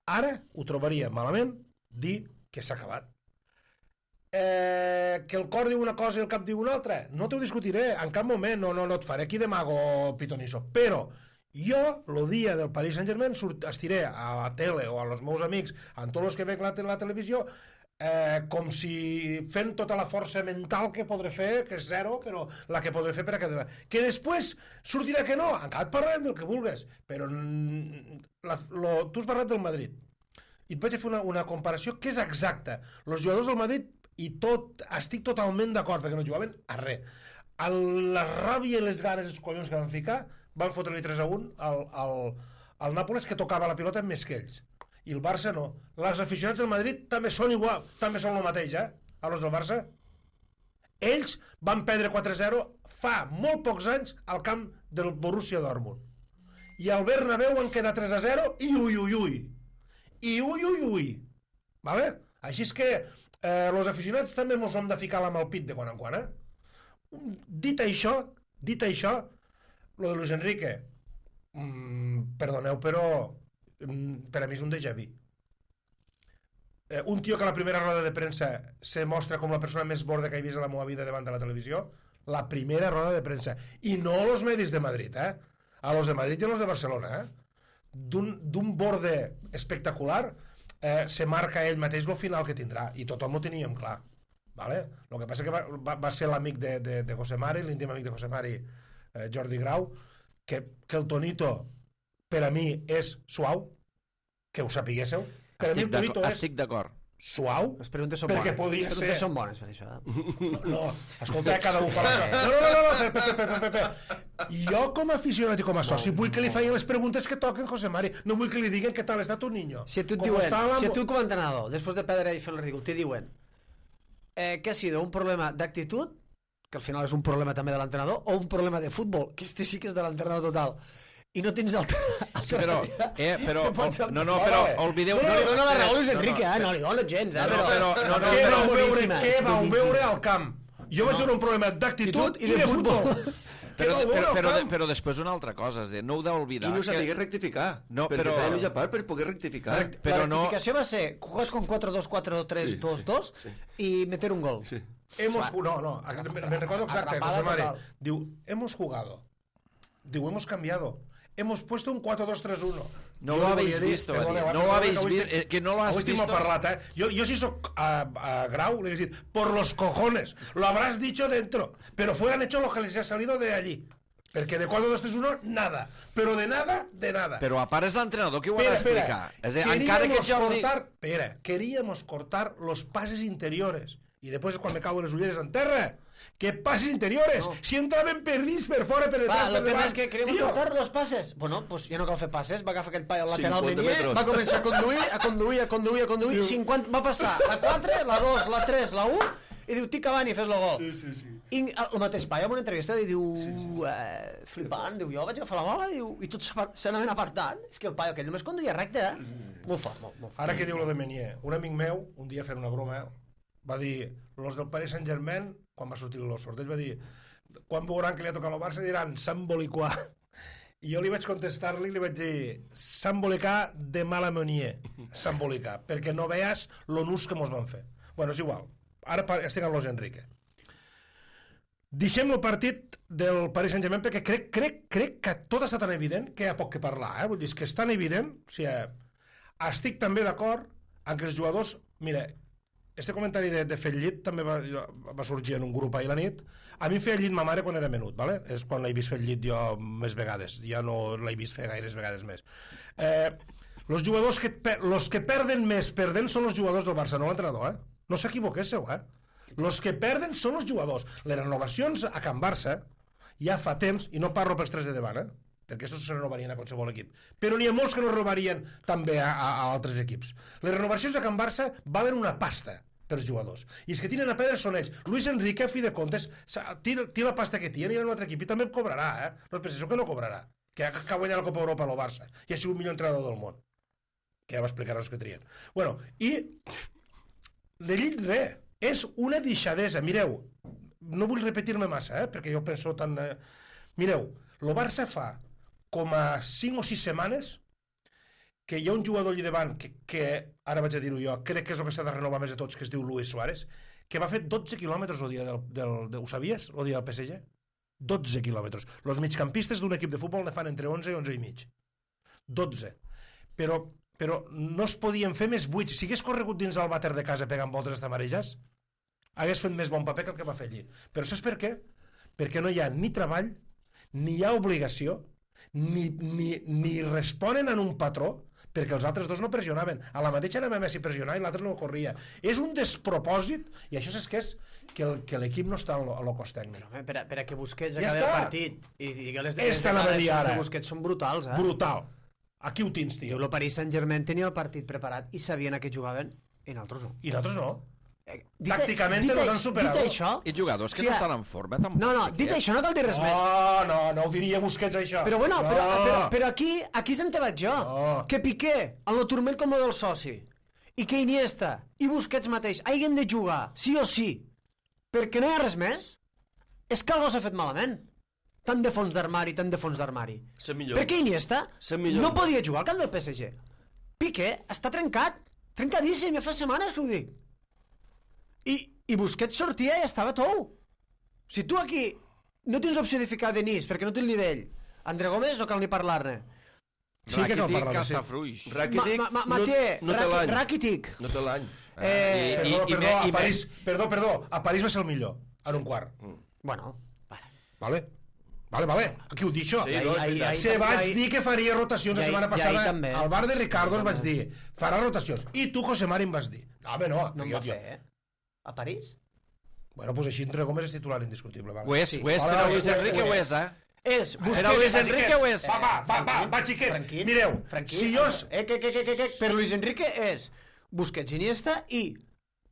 ara ho trobaria malament dir que s'ha acabat. Eh, que el cor diu una cosa i el cap diu una altra, no t'ho discutiré en cap moment, no, no, no et faré aquí de mago pitoniso, però jo el dia del Paris Saint-Germain surt, estiré a la tele o als meus amics amb tots els que veig la, la televisió eh, com si fent tota la força mental que podré fer, que és zero, però la que podré fer per a quedar. Que després sortirà que no, encara et parlarem del que vulgues, però mm, la, lo, tu has parlat del Madrid i et vaig a fer una, una comparació que és exacta. Els jugadors del Madrid, i tot, estic totalment d'acord, perquè no jugaven a res. El, la ràbia i les ganes, els collons que van ficar, van fotre-li tres a un al, al, al Nàpoles, que tocava la pilota més que ells. i el Barça no. Les aficionats del Madrid també són igual, també són el mateix, eh? A los del Barça. Ells van perdre quatre a zero fa molt pocs anys al camp del Borussia Dortmund. I al Bernabéu van quedar tres a zero i ui, ui, ui. I ui, ui, ui. Vale? Així és que eh, los aficionats també ens hem de ficar la mà al pit de quan en quan, eh? Dit això, dit això, lo de Luis Enrique, mm, perdoneu, però mm, per a mi és un déjà vu. Eh, un tio que a la primera roda de premsa se mostra com la persona més borda que he vist a la meva vida davant de la televisió, la primera roda de premsa. I no los medis de Madrid, eh? A los de Madrid i a los de Barcelona, eh? D'un borde espectacular, eh, se marca ell mateix el final que tindrà, i tothom ho teníem clar. Vale? El que passa que va, va, va ser l'amic de, de, de José Mari, l'íntim amic de José Mari, eh, Jordi Grau, que, que el tonito per a mi és suau, que ho sapiguéssiu. Per a mi el tonito és estic d'acord. suau, Les preguntes són perquè bones. podia Les ser... preguntes són bones per això. No, no, escolta, cada un fa la seva. No, no, no, no, Pepe, Pepe, Pepe, Pepe. Jo com a aficionat i com a soci vull que li facin les preguntes que toquen José Mari, no vull que li diguen què tal està tu niño. Si a tu et Com diuen, està la- si a tu com a entrenador, després de perdre i fer el ridícul, te diuen eh, que ha sido un problema d'actitud, que al final és un problema també de l'entrenador, o un problema de futbol, que este sí que és de l'entrenador total, i no tens altra... Sí, però, eh, però, Te pots- no, no, però oblideu... No, no, no, no la raó, Luis no, no, Enrique, eh? No li dono gens, eh? No, no, Però, però- no, no, Què però- vau veure, boníssima, què és vau boníssima. veure al camp? Jo vaig veure un problema d'actitud i de futbol. Què Però, vau veure però, al però, camp? però després una altra cosa, és dir, no heu d'oblidar I no que... sabia rectificar. No, perquè però- s'ha de mitja part per poder rectificar. Però la no... rectificació va ser juegas con cuatro dos cuatro tres Sí, dos sí, dos sí. i meter un gol. Sí. Hemos no, no, me, me recuerdo exacto, Atrapada José Mari. total. Diu, hemos jugado. Diu, hemos cambiado. Hemos puesto un cuatro dos tres uno. No Jo lo li habéis volia dir, visto, va perdoneu, dir. No perdoneu, lo habéis que avui visto, estic- eh, que no lo has avui estic visto. molt parlat, eh? Jo, jo si soc a, a Grau, le he dit, por los cojones, lo habrás dicho dentro, pero fueran hecho lo que les ha salido de allí. Perquè de cuatro dos tres uno, nada. Pero de nada, de nada. Però a part és l'entrenador que ho ha d'explicar. És a dir, encara que queríamos Jordi... cortar, espera, queríamos cortar los pases interiores. Y después quan me cago en les ulleres en terra, que pases interiores, No. si entraven perdits per fora, per Va, detrás, el per tema davant. és que queremos Tio, cortar los pases. Bueno, pues ja no cal fer passes, va agafar aquell paio al lateral cinquanta Meunier, metres. va començar a conduir, a conduir, a conduir, a conduir, cinquanta, va passar la quatre, la dos, la tres, la u, i diu, tic Cavani, fes el gol. Sí, sí, sí. I el mateix paio en una entrevista i diu, sí, sí, sí. Eh, flipant, diu, jo vaig agafar la bola, diu, i tots se n'anaven apartant. És que el paio aquell només conduïa recte, eh? Sí, sí, sí. Molt fort, molt, molt fort. Ara que diu lo de Meunier, un amic meu, un dia fent una broma, va dir, los del Paris Saint-Germain, quan va sortir el sorteig, va dir, quan veuran que li ha tocat el Barça, diran, s'emboliquà. I jo li vaig contestar-li i li vaig dir, s'embolicar de mala Meunier, s'embolicar, perquè no veas lo nus que mos van fer. Bueno, és igual. Ara pa- estic amb Luis Enrique. Deixem el partit del Paris Saint-Germain perquè crec, crec, crec que tot està tan evident que hi ha poc que parlar, eh? Vull dir, és que és tan evident, o sigui, estic també d'acord en que els jugadors... Mira, este comentari de, de fer llit també va, va sorgir en un grup ahir la nit. A mi em feia llit ma mare quan era menut, ¿vale? És quan l'he vist fer llit jo més vegades, ja no l'he vist fer gaires vegades més. Eh, los jugadors que, per, los que perden més perdent són els jugadors del Barça, no l'entrenador, eh? No s'equivoquéssiu, eh? Los que perden són els jugadors. Les renovacions a Can Barça ja fa temps, i no parlo pels tres de davant, eh? Perquè aquests se renovarien a qualsevol equip. Però n'hi ha molts que no renovarien també a, a, a altres equips. Les renovacions a Can Barça valen una pasta pels jugadors. I els que tenen a perdre són ells. Luis Enrique, a fi de comptes, tira, tira la pasta que té, anirà a un altre equip i també cobrarà, eh? No es penseu que no cobrarà. Que ha, que ha guanyat la Copa Europa a lo Barça. I ha sigut el millor entrenador del món. Que ja va explicar els que trien. Bueno, i de llit res. És una deixadesa. Mireu, no vull repetir-me massa, eh? Perquè jo penso tan... Eh... Mireu, el Barça fa com a cinc o sis setmanes que hi ha un jugador allà davant que, que ara vaig a dir-ho jo, crec que és el que s'ha de renovar més de tots, que es diu Luis Suárez, que va fer dotze quilòmetres el dia del, del, del... Ho sabies? El dia del P S G? dotze quilòmetres. Els migcampistes d'un equip de futbol ne fan entre onze i onze i mig. dotze. Però, però no es podien fer més buits. Si hagués corregut dins el vàter de casa pegant voltes hasta marejats, hagués fet més bon paper que el que va fer allí. Però saps per què? Perquè no hi ha ni treball, ni hi ha obligació, ni, ni, ni responen en un patró, perquè els altres dos no pressionaven. A la mateixa anava Messi a pressionar i l'altre no corria. És un despropòsit, i això és que és que el- que l'equip no està a lo, a lo cos tècnic. Home, per, a, per a que Busquets Ja acabi el està. partit i digui les, Esta anava a dir declaracions ara. de Busquets són brutals, eh? Brutal. Aquí ho tens, tio. El Paris Saint-Germain tenia el partit preparat i sabien a què jugaven, i nosaltres no. I nosaltres no. Eh, Tàcticament nos han superat. Dit això... I jugadors que Sí, no estan en forma, tampoc. No, no, dit això no cal dir res més. No, no, no ho diria Busquets, això. Però bueno, no. però, però, però aquí, aquí se'n te vaig jo. No. Que Piqué, en lo turmell com el del soci, i que Iniesta i Busquets mateix hagin de jugar, sí o sí, perquè no hi ha res més, és que algú s'ha fet malament. Tant de fons d'armari, tant de fons d'armari. cent milions. Per què Iniesta cent milions. no podia jugar al camp del P S G? Piqué està trencat, trencadíssim, ja fa setmanes que ho dic. I, i Busquets sortia i estava tou. Si tu aquí no tens opció de ficar Denis perquè no té el nivell, André Gómez no cal ni parlar-ne. Sí que cal Rakitic, parlar-ne, sí. Castafruix. Rakitic Ma, ma, ma, no, Mathieu, no té Rak- l'any. Rakitic. No té l'any. Eh, I- Perdó, i- perdó, i- a i- París, perdó, perdó, a París va ser el millor, en un quart. Bueno, vale. Vale? Vale, vale. Aquí ho dic això. Sí, no, és Ahí- veritat. ahí- Se vaig ahí- dir que faria rotacions la i ahí- setmana i ahí passada. també. Al bar de Ricardo es vaig dir, farà rotacions. I tu, José Mari, em vas dir. No, home, no. No em jo, va jo. fer, eh? A París? Bueno, doncs així André Gómez és titular indiscutible. Vale. Ho és, Sí. ho és, Vale, però vale, Luis ho és, Enrique ho ho és. és, eh? És Era Busquets. Luis Va, Enrique xiquets. ho és. Va, va, va, va, va, xiquets. Tranquil, Mireu, tranquil. si jo... es- Eh, que, que, que, que, que, per Luis Enrique és Busquets, Iniesta i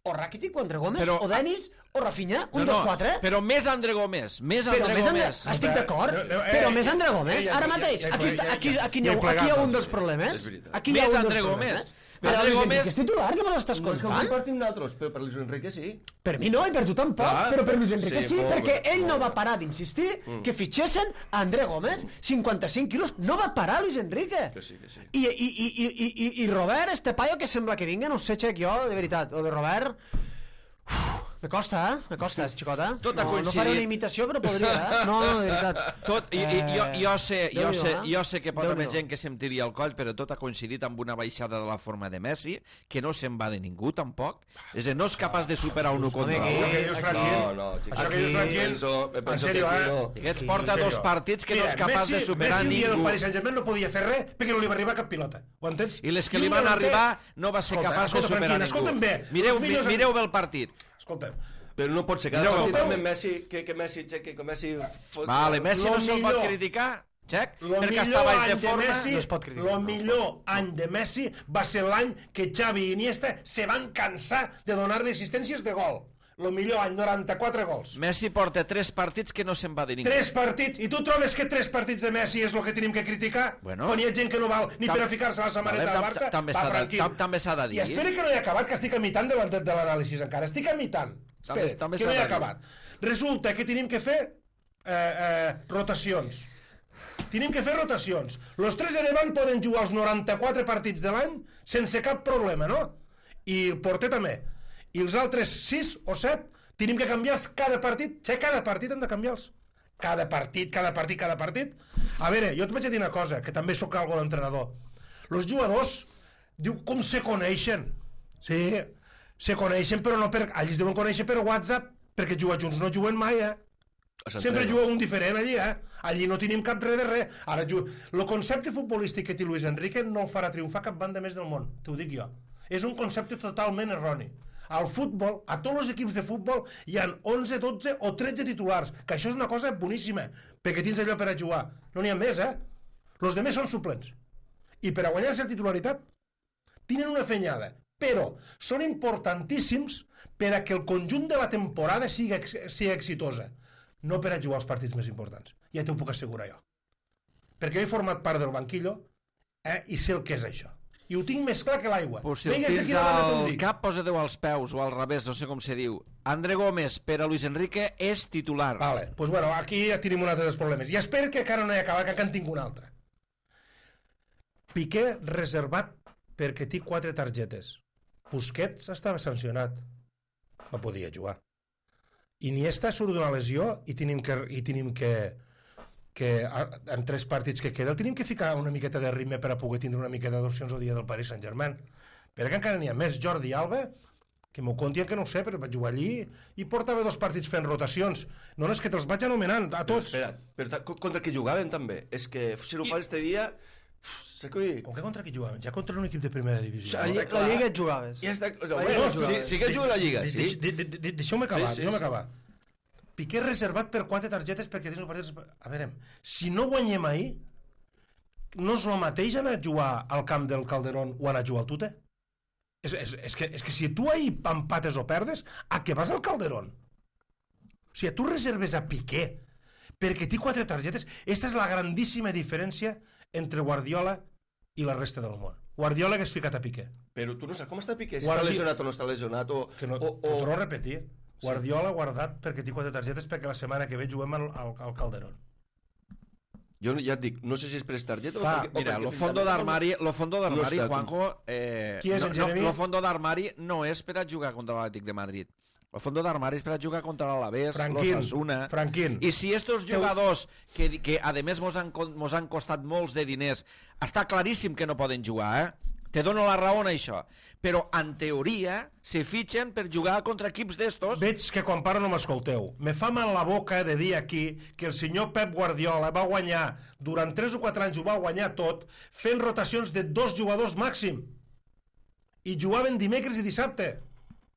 o Rakitic o André Gómez, Però- o Denis, o Rafinha, un No, dels no, quatre. Però més André Gómez, més Però André més André... Gómez. Estic d'acord, No, no, eh, però eh, més André eh, Gómez, ja, ara ja, mateix. ja, Aquí, ja, està, ja, aquí, ja, aquí, ja hi he ha, plegat, aquí hi ha un doncs. dels problemes. És veritat. Aquí hi ha Més un dels André problemes. Gómez. Però André Luis Gómez- Enrique és titular, que me l'estàs No és que ho contant? compartim nosaltres, però per Luis Enrique sí. Per mi no, i per tu tampoc, Clar, però per Luis Enrique sí, sí, molt perquè bé, ell molt no va bé. parar d'insistir que fitxessin a André Gómez, cinquanta-cinc quilos, no va parar Luis Enrique. Que sí, que sí. I, i, i, i, i, i- i Robert, este paio que sembla que vinga, no sé, xec, jo, de veritat, el de Robert... Uf, me costa, eh? Me costa, és xicota. Tot ha no, no coincidit. faré una imitació, però podria, eh? No, no, de veritat. Tot, i, i, jo, jo, sé, jo, Déu-n'hi-do, sé, eh? jo sé que pot haver Déu-n'hi-do. gent que se'm tiri al coll, però tot ha coincidit amb una baixada de la forma de Messi, que no se'n va de ningú, tampoc. És a dir, no és capaç de superar un u contra Home, Això un. que dius, Aquí- Franquín, No, no, xico. això que dius, Aquí- Franquín, Penso- penso en sèrio, que eh? aquí Aquests porta En dos sèrio. partits que no és Mira, capaç Messi, de superar Messi un dia del ningú. Paris Saint-Germain no podia fer res perquè no li va arribar cap pilota. Ho entens? I les que un li van delanter- arribar no va ser Escolta, capaç de escolta, superar Franquín, ningú. escolta'm bé. Mireu, els millors- mireu bé el partit. Escolta'm. Però no pot ser cada Mireu, partit escolteu. amb Messi, que, que Messi aixequi, que Messi... fot- Vale, Messi Lo no se'l pot millor. criticar, xec, Lo perquè millor està baix any de forma. Messi, no es pot criticar. lo millor any de Messi va ser l'any que Xavi i Iniesta se van cansar de donar-li assistències de gol. Lo millor any, noranta-quatre gols. Messi porta tres partits que no se'n va de ningú. Tres partits. I tu trobes que tres partits de Messi és el que tenim que criticar? Bueno. Quan hi ha gent que no val ni Tam- per a ficar-se a la samarreta Vale, del tam- Barça? també Va, s'ha de- Franquín. tam- també s'ha de dir. I espera que no he acabat, que estic a mitant de la- de, de l'anàlisi encara. Estic a mitant. També- Espera, també que s'ha no he de dir. acabat. Resulta que tenim que fer eh, eh, rotacions. Tenim que fer rotacions. Los tres de davant poden jugar els noranta-quatre partits de l'any sense cap problema, no? I el porter també. I els altres sis o set tenim que canviar-los cada partit. Che, cada partit hem de canviar-los. Cada partit, cada partit, cada partit. A veure, jo et vaig a dir una cosa, que també sóc algo d'entrenador. Los jugadors, diu, com se coneixen? Sí, se coneixen, però no per... Allí es deuen conèixer per WhatsApp, perquè jugar junts no juguen mai, eh? Sempre juga un diferent allí, eh? Allí no tenim cap res de res. Ara, el concepte futbolístic que té Luis Enrique no el farà triomfar cap banda més del món, t'ho dic jo. És un concepte totalment erroni. Al futbol, a tots els equips de futbol, hi ha onze, dotze o tretze titulars, que això és una cosa boníssima, perquè tens allò per a jugar. No n'hi ha més, eh? Els demés són suplents. I per a guanyar-se la titularitat, tenen una fenyada, però són importantíssims per a que el conjunt de la temporada sigui, sigui exitosa, no per a jugar els partits més importants. Ja t'ho puc assegurar jo. Perquè jo he format part del banquillo eh, i sé el que és això. I ho tinc més clar que l'aigua. Pues si el Vinga, de tens quina banda te'n al dic? cap, posa-te als peus o al revés, no sé com se diu. André Gómez per a Luis Enrique és titular. Vale, doncs pues bueno, aquí ja tenim un altre dels problemes. I espero que encara no hi ha acabat, que en tinc un altre. Piqué reservat perquè té quatre targetes. Busquets estava sancionat. No podia jugar. Iniesta surt d'una lesió i tenim que, i tenim que, que en tres partits que queda el tenim que ficar una miqueta de ritme per a poder tindre una miqueta d'opcions al dia del Paris Saint-Germain. Perquè encara n'hi ha més. Jordi Alba, que m'ho conti que no ho sé, però vaig jugar allí i portava dos partits fent rotacions. No, no, és que te'ls vaig anomenant a tots. Però, espera, però ta- contra qui jugaven també? És que si no ho I- fas este dia... Sé que... Com que contra qui jugaven? Ja contra un equip de primera divisió. Ja La, està lli- clar. la Lliga et jugaves. Ja està... Lliga Bueno, jugaves. sí, sí que juga a la Lliga, De- sí. de- de- de- de- Deixeu-me acabar, Sí, sí, deixeu-me sí. acabar. Piqué reservat per quatre targetes perquè tens un partit... A veure, si no guanyem ahir, no és el mateix anar a jugar al camp del Calderón o anar a jugar al Tute? És, és, és, que, és que si tu ahir empates o perdes, a què vas al Calderón? O sigui, tu reserves a Piqué perquè té quatre targetes. Esta és la grandíssima diferència entre Guardiola i la resta del món. Guardiola que has ficat a Piqué. Però tu no saps com està Piqué, si Guardi... està lesionat o no està lesionat, o... Que no, o, o... o... torno a repetir. Guardiola guardat perquè té quatre targetes perquè la setmana que ve juguem al, al, al Calderón. Jo ja et dic, no sé si és per targeta o Va, perquè... Mira, o lo perquè fondo d'armari, lo fondo d'armari, No està- Juanjo, eh, Qui és no, el no, Jeremy? lo fondo d'armari no és per a jugar contra l'Atlètic de Madrid. El fondo d'armari és per a jugar contra l'Alavés, Franquín, l'Osasuna... Franquín. I si estos jugadors, que, que a més mos han, co- mos han costat molts de diners, està claríssim que no poden jugar, eh? Te dono la raó en això. Però, en teoria, se fitxen per jugar contra equips d'estos... Veig que quan parlo no m'escolteu. Me fa mal la boca de dir aquí que el senyor Pep Guardiola va guanyar, durant tres o quatre anys ho va guanyar tot, fent rotacions de dos jugadors màxim. I jugaven dimecres i dissabte.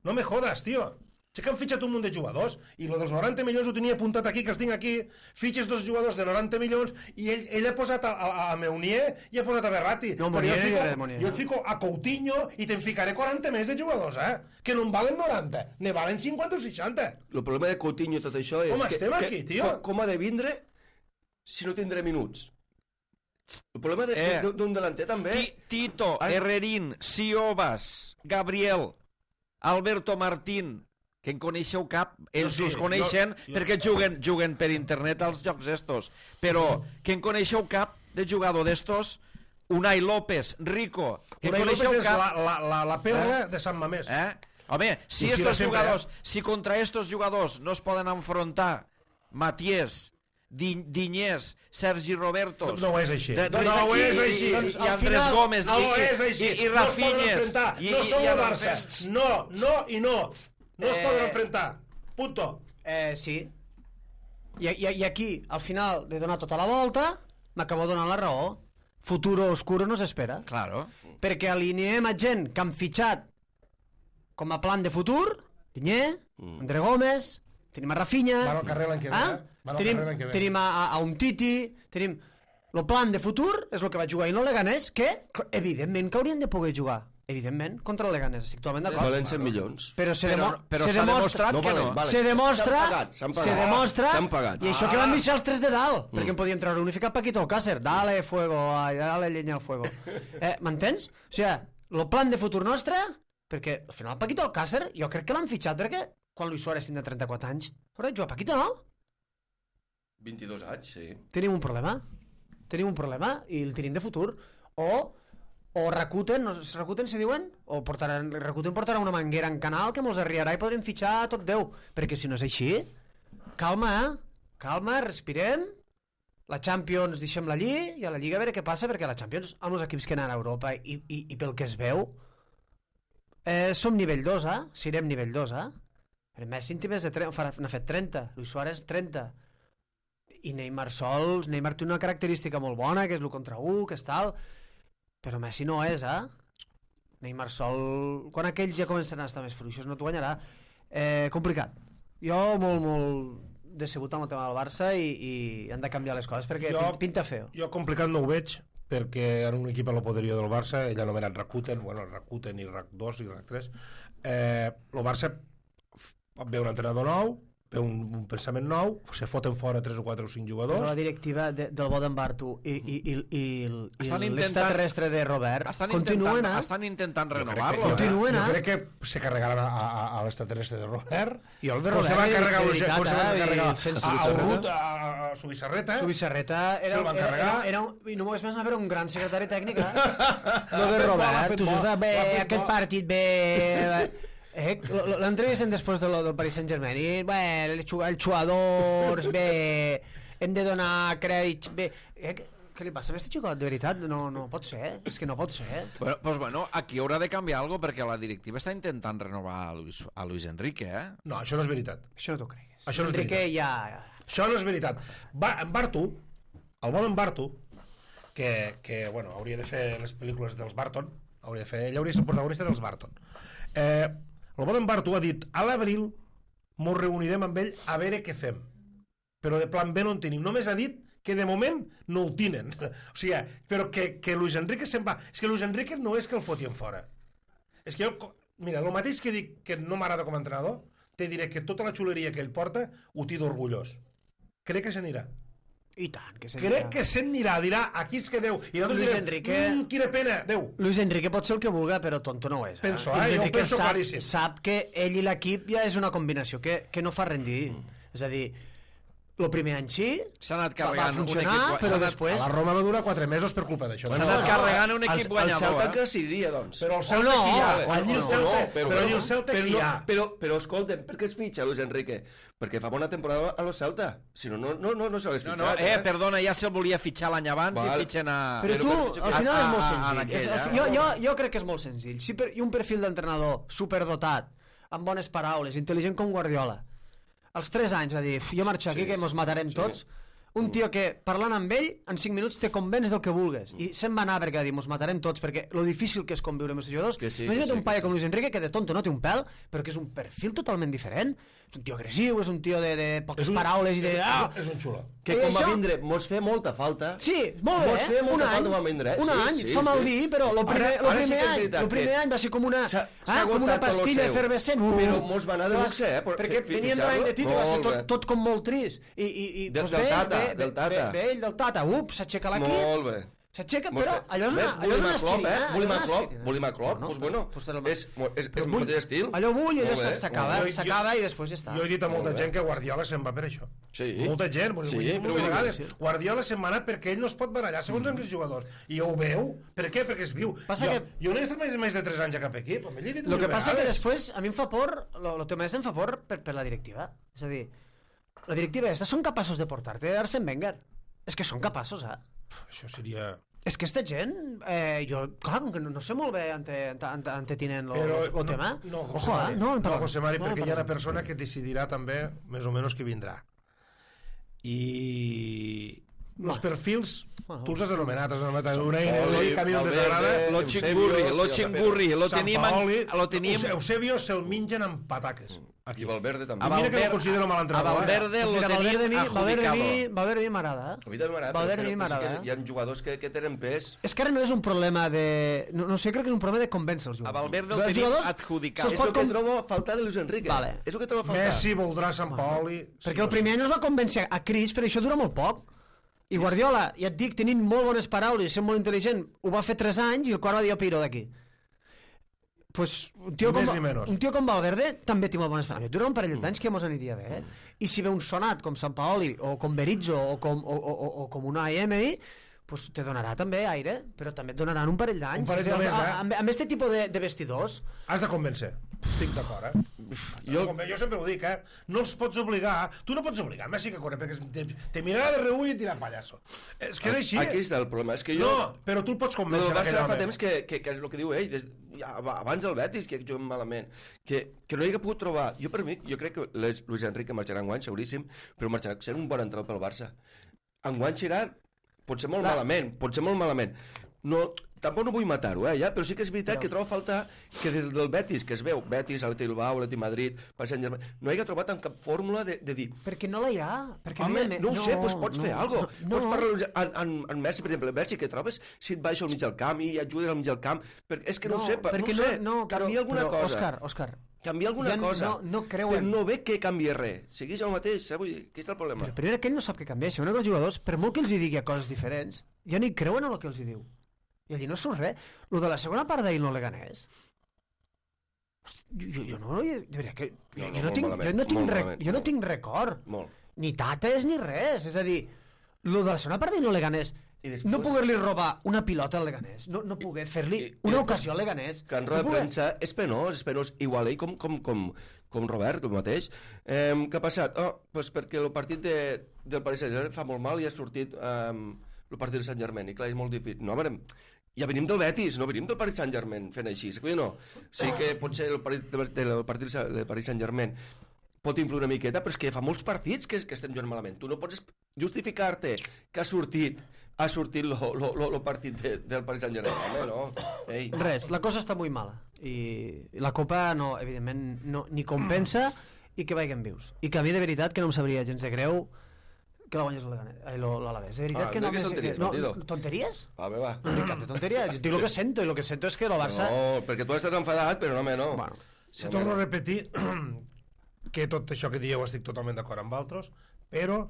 No me jodas, tio. Sí que han fitxat un munt de jugadors i lo dels noranta milions ho tenia apuntat aquí, que els tinc aquí. Fitxes dos jugadors de noranta milions i ell, ell ha posat a, a, a Meunier i ha posat a Berratti. No, Però Meunier jo et no fico, era de Meunier, jo no? et fico a Coutinho i te'n ficaré quaranta més de jugadors, eh? Que no en valen noranta, ne valen cinquanta o seixanta. El problema de Coutinho i tot això és... Com que, estem que, aquí, tio? Com, com ha de vindre si no tindré minuts? El problema d'un Eh. de, d'un delanter també... Ti- Tito, Ai. Herrerín, Siobas, Gabriel, Alberto Martín, que en coneixeu cap, ells sí, els coneixen jo- jo- perquè juguen, juguen per internet als jocs estos, però que en coneixeu cap de jugador d'estos, Unai López, Rico, que en Unai López coneixeu és cap... la, la, la, la perla Eh? de Sant Mamés. Eh? Home, si Ho dirà estos sempre, jugadors, eh? si contra estos jugadors no es poden enfrontar Matiés, Di, Diñés, Sergi Robertos... No, no és així. De- No, no i- és i- així. I, Doncs, i, al Andrés final, Gómez no i, és així. i, i No es poden Rafinhes. enfrentar. I, no i, sou i el a Barça. Rafinha. No, no i no. No es Eh. poden enfrentar. Punto. Eh, sí. I, i, I aquí, al final de donar tota la volta, m'acabo donant la raó. Futuro oscuro no s'espera. Claro. Perquè alineem a gent que han fitxat com a plan de futur, Diñé, Mm. André Gómez, tenim a Rafinha... Van al carrer l'any que ve, Ah? eh? Van al Tenim, carrer l'any que ve. tenim a, a, a un Titi, tenim... El plan de futur és el que va jugar i no el Leganés, que, evidentment, que haurien de poder jugar. Evidentment, contra el Leganés, estic totalment d'acord. Valen cent milions. Però se, Però, demo però se s'ha demostra... demostrat que no. valen, valen. Se demostra, S'han pagat, s'han se pagat. demostra, S'han pagat. i això que van deixar els tres de dalt, Mm. perquè en podíem treure unificat Paquito Alcácer, dale fuego, ai, dale llenya al fuego. Eh, M'entens? O sigui, el plan de futur nostre, perquè al final Paquito Alcácer, jo crec que l'han fitxat perquè quan Luis Suárez tindrà trenta-quatre anys, haurà de jugar Paquito, no? vint-i-dos anys, sí. Tenim un problema. Tenim un problema i el tenim de futur. O, o Rakuten, no, Rakuten se diuen? O portaran, Rakuten portarà una manguera en canal que mos arriarà i podrem fitxar tot Déu. Perquè si no és així, calma, eh? Calma, respirem. La Champions deixem-la allí i a la Lliga a veure què passa, perquè la Champions, amb els equips que anen a Europa i, i, i pel que es veu, eh, som nivell dos, eh? Serem nivell dos, eh? El Messi en té més de trenta, n'ha fet trenta, Luis Suárez trenta. I Neymar sol, Neymar té una característica molt bona, que és el contra u, que és tal, però Messi no és, eh? Neymar sol... Quan aquells ja començaran a estar més fluixos no t'ho guanyarà. Eh, complicat. Jo molt, molt decebut amb el tema del Barça i, i han de canviar les coses perquè Jo- pinta feo. Jo complicat no ho veig, perquè en un equip a la poderia del Barça, ell anomenat Rakuten, bueno, Rakuten i Rak dos i Rak tres, eh, el Barça ve un entrenador nou, ve un, un pensament nou, se foten fora tres o quatre o cinc Però jugadors. la directiva de, del Boden Bartu i, i, i, i, i Estan intentant- l'extraterrestre de Robert Estan continuen, intentant, eh? estan intentant Jo crec que- renovar-lo. jo- Continuen, jo eh? crec que se carregaran a, a, a l'extraterrestre de Robert. I el de Com se Robert, van carregar de a veritat, com se van eh? carregar I sense a, a Subissarreta. Urrut, a, a, a Subissarreta. Subissarreta era, Se'l van era, era, carregar. era un, i no m'ho més era un gran secretari tècnic, eh? No Ha de fet Robert, bo, ha fet tu bo, saps, bé, ha fet aquest bo. partit bé... Eh, l'entrevisten després de lo del Paris Saint-Germain i, bé, els xu- els jugadors, bé, hem de donar crèdits, bé... Eh, què, què li passa a aquest xicot, de veritat? No, no pot ser, és que no pot ser. Bueno, pues bueno, aquí haurà de canviar algo perquè la directiva està intentant renovar a Luis, a Luis Enrique, eh? No, això no és veritat. Això no t'ho cregues. Això no és Enrique veritat. ja... Això no és veritat. Va, en Bartu, el bon en Bartu, que, que bueno, hauria de fer les pel·lícules dels Barton, hauria de fer, ell hauria de ser protagonista dels Barton. Eh, el bon en Bartu ha dit, a l'abril mos reunirem amb ell a veure què fem. Però de plan B no en tenim. Només ha dit que de moment no ho tenen. O sigui, però que, que Luis Enrique se'n va... És que Luis Enrique no és que el fotien fora. És que jo... Mira, el mateix que dic que no m'agrada com a entrenador, te diré que tota la xuleria que ell porta ho té d'orgullós. Crec que se n'anirà. I tant, que se Crec que se n'anirà, dirà, aquí es que Déu. I nosaltres Luis direm, Enrique... mmm, quina pena, Déu. Luis Enrique pot ser el que vulga, però tonto no ho és. Eh? Penso, eh? Luis Jo ho Enrique penso sap, claríssim. sap que ell i l'equip ja és una combinació que, que no fa rendir. Mm. És a dir, el primer any sí, S'ha anat va, va carregant un funcionar, equip... però s'ha anat- després... A la Roma va durar quatre mesos per culpa d'això. S'ha Bueno, anat no, carregant un El, equip el guanyador, Celta eh? que seguiria, doncs. Però el O Celta no, que hi ha, o allí el no, Celta, no, però allí el Celta però, que hi ha. no, però, però escolta'm, per què es fitxa Luis Enrique? Perquè fa bona temporada a lo Celta. Si no, no, no, no, no se l'hagués No, fitxat. no, eh, perdona, ja se'l volia fitxar l'any abans Val. i fitxen a... Però Però tu, per pitjor al que- final és molt a- a- a senzill. aquell, És, eh? jo, jo, jo crec que és molt senzill. Si per, I un perfil d'entrenador superdotat, amb bones paraules, intel·ligent com Guardiola, als tres anys va dir, jo marxo aquí Sí, que mos matarem sí. tots. Un tio que, parlant amb ell, en cinc minuts te convenç del que vulgues. I se'n va anar perquè va dir, mos matarem tots, perquè lo difícil que és conviure amb els jugadors. Que sí, Imagina't que sí, un paio que sí. com Luis Enrique, que de tonto no té un pèl, però que és un perfil totalment diferent. És un tio agressiu, és un tio de, de poques un- paraules i de... Ah! És un xulo. Que I com va això- vindre, mos fer molta falta. Sí, molt bé, Mos feia un molta any, falta quan va vindre, eh? un Sí, any, sí, fa mal sí. dir, però el primer, Ara- lo ara sí primer que és any, veritat el primer que any va ser com una, s'ha- ah, s'ha com una agotat tot lo pastilla seu. efervescent. Uh, Però mos va anar de clar, luxe, eh, per perquè fer- fer venien de l'any de títol, va ser Molt tot, bé. tot com molt trist. I, i, i Del- doncs del ve, Tata, ve, del Tata. Ve, ve ell del Tata, up, s'aixeca l'equip, Molt bé. s'aixeca, Mos però fe- allò és una, Ves, allò és volim una a Klopp, aspirina. eh? Volim a allò és una Klopp, aspirina. volim a Klopp, No, no, doncs bueno, doncs el- és, és, és però el vull- mateix estil. Allò vull, allò Molt bé, s'acaba, molt bé. s'acaba i després ja està. Jo he dit a molta Molt bé. gent que Guardiola se'n va per això. Sí. Molta gent, Sí, sí, però però vull dir- vegades. Guardiola se'n va anar perquè ell no es pot barallar segons amb els jugadors. I ho veu. Per què? Perquè es viu. Passa jo, que- jo no he estat més, més de tres anys a cap equip. Amb ell he dit El que mil passa que vegades. després, a mi em fa por, el tema és em fa por per, per la directiva. És a dir, la directiva aquesta són capaços de portar-te Arsène Wenger. És que són capaços, eh? Això seria... És que aquesta gent, eh, jo, clar, com que no, no sé molt bé ante, ante, ante, ante tinent el no, tema. No, José Ojo, Mari, eh? No, en no, parlem. José Mari, No, en perquè hi ha una parlem. persona que decidirà també més o menys qui vindrà. I... Els perfils, Bueno. tu els has anomenat, has anomenat Unai, Sampaoli, que a mi no em Valverde, desagrada. Lo xingurri, lo xingurri, lo tenim... Sampaoli, Lo tenim... Euse- Eusebio se'l mengen amb pataques. I Valverde també. A mira que no Valverde- considero mal a entrenador, eh? Valverde Pues lo mira, Valverde a mi, tenim Valverde a mi, adjudicado. Valverde a mi m'agrada. A mi també m'agrada, Valverde a però, mi però sí m'agrada. que hi ha jugadors que, que tenen pes. És que ara no és un problema de... No, no sé, crec que és un problema de convèncer els A jugadors. Valverde el Els tenim jugadors adjudicat. se'ls És pot el que com- trobo a faltar de Luis Enrique. Vale. És el que trobo a faltar. Messi voldrà Sant Paoli... Perquè el primer any els va convèncer a Cris, però això dura molt poc. I Guardiola, ja et dic, tenint molt bones paraules i sent molt intel·ligent, ho va fer tres anys i el quart va dir, piro d'aquí. Pues un tio, Ni com, més ni menys. un tio com Valverde també té molt bones paraules. Dura un parell d'anys que mos aniria bé. Eh? I si ve un sonat com Sant Paoli, o com Berizzo, o com, o, o, o, o com una Emery, pues te donarà també aire, però també et donaran un parell d'anys. Un parell de És a dir, més, eh? Amb, amb este tipus de, de vestidors, Has de convèncer. Estic d'acord, eh? Jo- Jo... jo sempre ho dic, eh? No els pots obligar... Tu no pots obligar Messi que corre, perquè te, te mirarà de reull i et dirà pallasso. És que és així. Aquí està el problema. És que jo... No, però tu el pots Lo convèncer. del Barça aquell fa home. temps que, que, que és el que diu ell, des, ja, abans del Betis, que juguen malament, que, que no hi ha pogut trobar... Jo per mi, jo crec que les, Luis Enrique marxarà enguany, seguríssim, però marxarà sent un bon entrenador pel Barça. Enguany serà, pot ser molt La- malament, pot ser molt malament. No, tampoc no vull matar-ho, eh, ja, però sí que és veritat Però- que trobo a faltar que des del Betis, que es veu, Betis, Atleti Bilbao, Atleti Madrid, Paris Saint-Germain, no hi ha trobat en cap fórmula de, de dir perquè no la hi ha. Perquè home, hi ha- no ho sé, doncs pots fer alguna cosa. No, Pots parlar en, en, en Messi, per exemple, Messi, que trobes si et baixa al mig del camp i ajudes al mig del camp, perquè és que no, ho sé, pa- no perquè ho sé, no, canvia però, alguna però, cosa. Òscar, Òscar, Canvia alguna ja cosa. no- no creuen. Però no ve que canvia res. Segueix el mateix, eh? Vull dir, aquí està el problema. però primer que ell no sap què canviar. Si un dels jugadors, per molt que els hi digui a coses diferents, ja no hi creuen en el que els hi diu. I allí no surt res. Lo de la segona part d'ahir no le ganés. Hosti, jo, jo no... Jo, diria que, jo, No, no, jo, no molt tinc, malament, jo, no tinc molt rec, malament, jo no molt. tinc record. Molt. Ni tates ni res. És a dir, lo de la segona part d'ahir no le ganés. I després- No poder-li robar una pilota al Leganés, no, no poder fer-li I- i una després- ocasió al Leganés. Que en no roda de poder- premsa és penós, és penós. Igual ell com, com, com, com Robert, el mateix. Eh, què ha passat? Oh, doncs perquè el partit de, del Paris Saint-Germain fa molt mal i ha sortit eh, el partit del Saint-Germain. I clar, és molt difícil. No, home, ja venim del Betis, no venim del Paris Saint-Germain fent així. Sí, no. Sí que potser el partit del, del partit del Paris Saint-Germain pot influir una miqueta, però és que fa molts partits que, que estem jugant malament. Tu no pots justificar-te que ha sortit ha sortit el partit de, del Paris Saint-Germain, home, no? Ei. Res, la cosa està molt mala. I la Copa, no, evidentment, no, ni compensa i que vagin vius. I que a mi, de veritat, que no em sabria gens de greu que la guanyés l'Alavés. De veritat Ah, que no... no diguis tonteries, no, Bandido. tonteries? Va, bé, va. No dic cap de tonteria. Jo dic el que sento, i el que sento és que el Barça... No, perquè tu estàs enfadat, però no, home, no. Bueno, Si torno a repetir que tot això que dieu estic totalment d'acord amb altres, però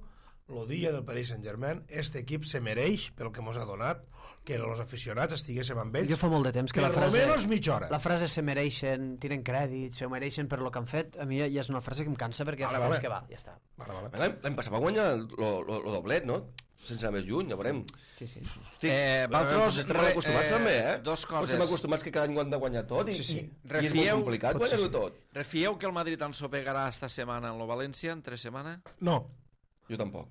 el dia del Paris Saint-Germain, este equip se mereix, pel que mos ha donat, que els aficionats estiguéssim amb ells jo fa molt de temps que per la frase... almenys mitja hora. La frase se mereixen, tiren crèdit, se ho mereixen per lo que han fet, a mi ja és una frase que em cansa perquè Vale, fa vale. temps que va, ja està. Vale, vale. L'any l'any passat va guanyar el doblet, no? Sense anar més lluny, ja veurem. Sí, sí. Hosti, Eh, eh, vosaltres, estem mal acostumats eh, també, eh? dos coses. Estem acostumats que cada any ho han de guanyar tot i, Sí, sí. i, i és Refieu- molt complicat potser guanyar-ho sí. tot. Refieu que el Madrid ensopegarà esta setmana en el València, en tres setmanes? No, Jo tampoc.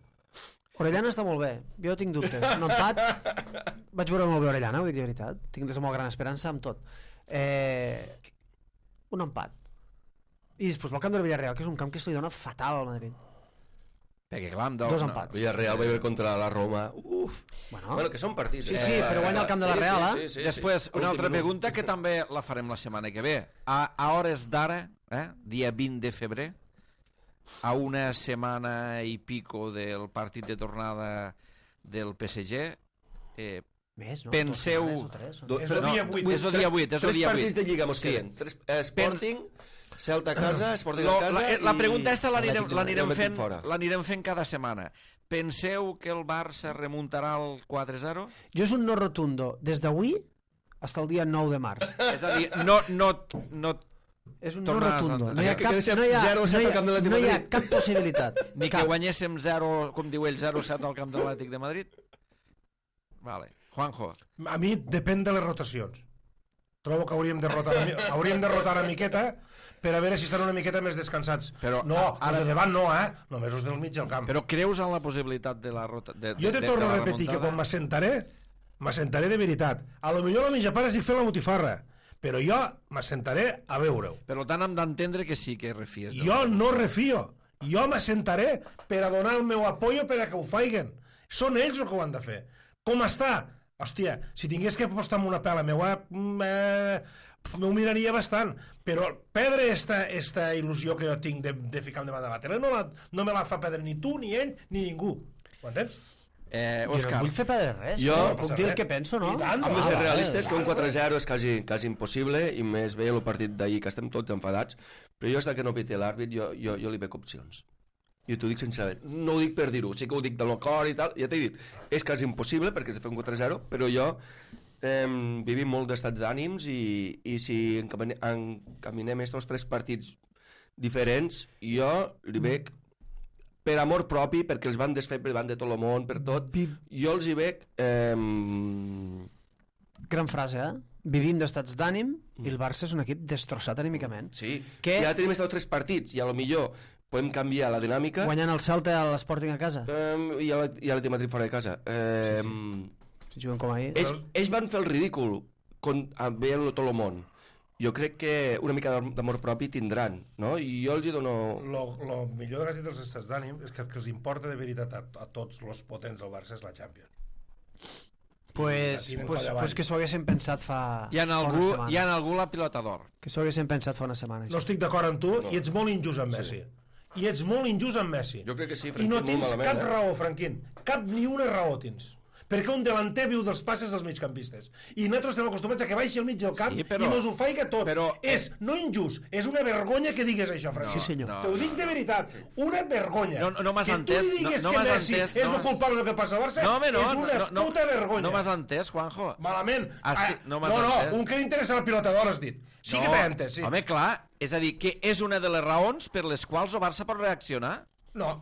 Orellana està molt bé, jo tinc dubtes. Un empat, vaig veure molt bé Orellana, ho dic de veritat. Tinc des de molt gran esperança amb tot. Eh, un empat. I després el camp del Villarreal, que és un camp que se li dona fatal al Madrid. Perquè, clar, amb Dos empats. Villarreal va haver contra la Roma. Uf. Bueno, Bueno, que són partits. Sí, eh? sí, però guanya el camp de la Sí, Real, sí, eh? sí, sí, Després, sí. una Últim altra minut. pregunta que també la farem la setmana que ve. A, a hores d'ara, eh, dia vint de febrer, a una setmana i pico del partit de tornada del P S G, eh, més, no? penseu- Dos setmanes o tres, o no? Do- És el no, dia vuit. és el dia vuit, és el Tres dia partits vuit. de Lliga mos Sí. queden. Tres, eh, Sporting, Celta a casa, Sporting Lo, a casa la, eh, la i- pregunta esta l'anirem Atlètic de- l'anirem Atlètic fent, fora. l'anirem fent cada setmana. Penseu que el Barça remuntarà el quatre zero? Jo és un no rotundo, des d'avui fins al dia nou de març. És a dir, no, no, no, És un no Tornaràs rotundo. a- No hi ha Que cap, quedi no hi ha, zero a set no hi al ha, camp de l'Atlètic no de hi ha Madrid. cap possibilitat. ni que Cap. guanyéssim zero, com diu ell, zero set al camp de l'Atlètic de Madrid? Vale. Juanjo. a mi depèn de les rotacions. Trobo que hauríem de rotar una, mi- hauríem de rotar una miqueta per a veure si estan una miqueta més descansats. Però no, ara- els de davant no, eh? Només els del mig del camp. Però creus en la possibilitat de la rota... De, de, Jo te de, torno de a la repetir que remuntada? quan m'assentaré, m'assentaré de veritat. A lo millor a la mitja part estic fent la botifarra, però jo m'assentaré a veure-ho. Per tant, hem d'entendre que sí que refies. del- Jo no refio. Jo m'assentaré per a donar el meu apoyo per a que ho faiguen. Són ells el que ho han de fer. Com està? Hòstia, si tingués que apostar amb una pela meva, eh, m'ho miraria bastant. Però perdre esta, esta il·lusió que jo tinc de, de ficar-me davant de la tele no, la, no me la fa perdre ni tu, ni ell, ni ningú. Ho entens? Eh, Jo no Òscar, vull fer perdre res. Jo- no, puc dir el que penso, no? I tant, Hem de Ah, ser vale, realistes, que un vale. quatre zero és quasi, quasi impossible, i més bé el partit d'ahir, que estem tots enfadats, però jo, hasta que no piti l'àrbit, jo, jo, jo li veig opcions. I t'ho dic sincerament. No ho dic per dir-ho, sí que ho dic del meu cor i tal, ja t'he dit, és quasi impossible, perquè és de fer un quatre zero, però jo eh, vivim molt d'estats d'ànims i, i si encamine- encaminem estos tres partits diferents, jo li veig per amor propi, perquè els van desfer davant de tot el món, per tot, jo els hi veig eh, Gran frase, eh? Vivim d'estats d'ànim i el Barça és un equip destrossat anímicament. sí, Que- ja tenim estos tres partits i a lo millor podem canviar la dinàmica Guanyant el Celta a l'Sporting a casa. eh, i a la, i a la Madrid fora de casa eh, Si juguen com ahir. ells, ells van fer el ridícul con, a veure tot el món. Jo crec que una mica d'amor propi tindran, no? I jo els hi dono... Lo, lo millor de que has dit dels estats d'ànim és que el que els importa de veritat a, a tots els potents del Barça és la Champions. Pues, la tiren pues, coll avall. pues que s'ho haguessin pensat fa, hi ha, fa una algú, setmana. hi ha algú la pilota d'or. Que s'ho haguessin pensat fa una setmana. No Això. estic d'acord amb tu no. i ets molt injust amb Messi. I ets molt injust amb Messi. Jo crec que sí, I Franquín, no molt tens malament, cap eh? raó, Franquín. Cap ni una raó tens. Perquè un delanter viu dels passes dels migcampistes. I nosaltres estem acostumats a que baixi al mig del camp Sí, però- i mos ho faiga tot. però- És no injust, és una vergonya que digues això, Franquín. Sí, senyor. No. Te ho dic de veritat. Una vergonya. No, no, no m'has que entès, tu li digues no- no que m'has Messi entès, és no el m'has- culpable del que passa al Barça No, home, no, és una no, no, puta vergonya. No m'has entès, Juanjo. Malament. Esti- Ah, no m'has no, entès. no, un que li interessa la pilota d'or, has dit. Sí que t'he entès, sí. Home, clar, és a dir, que és una de les raons per les quals el Barça pot reaccionar. No.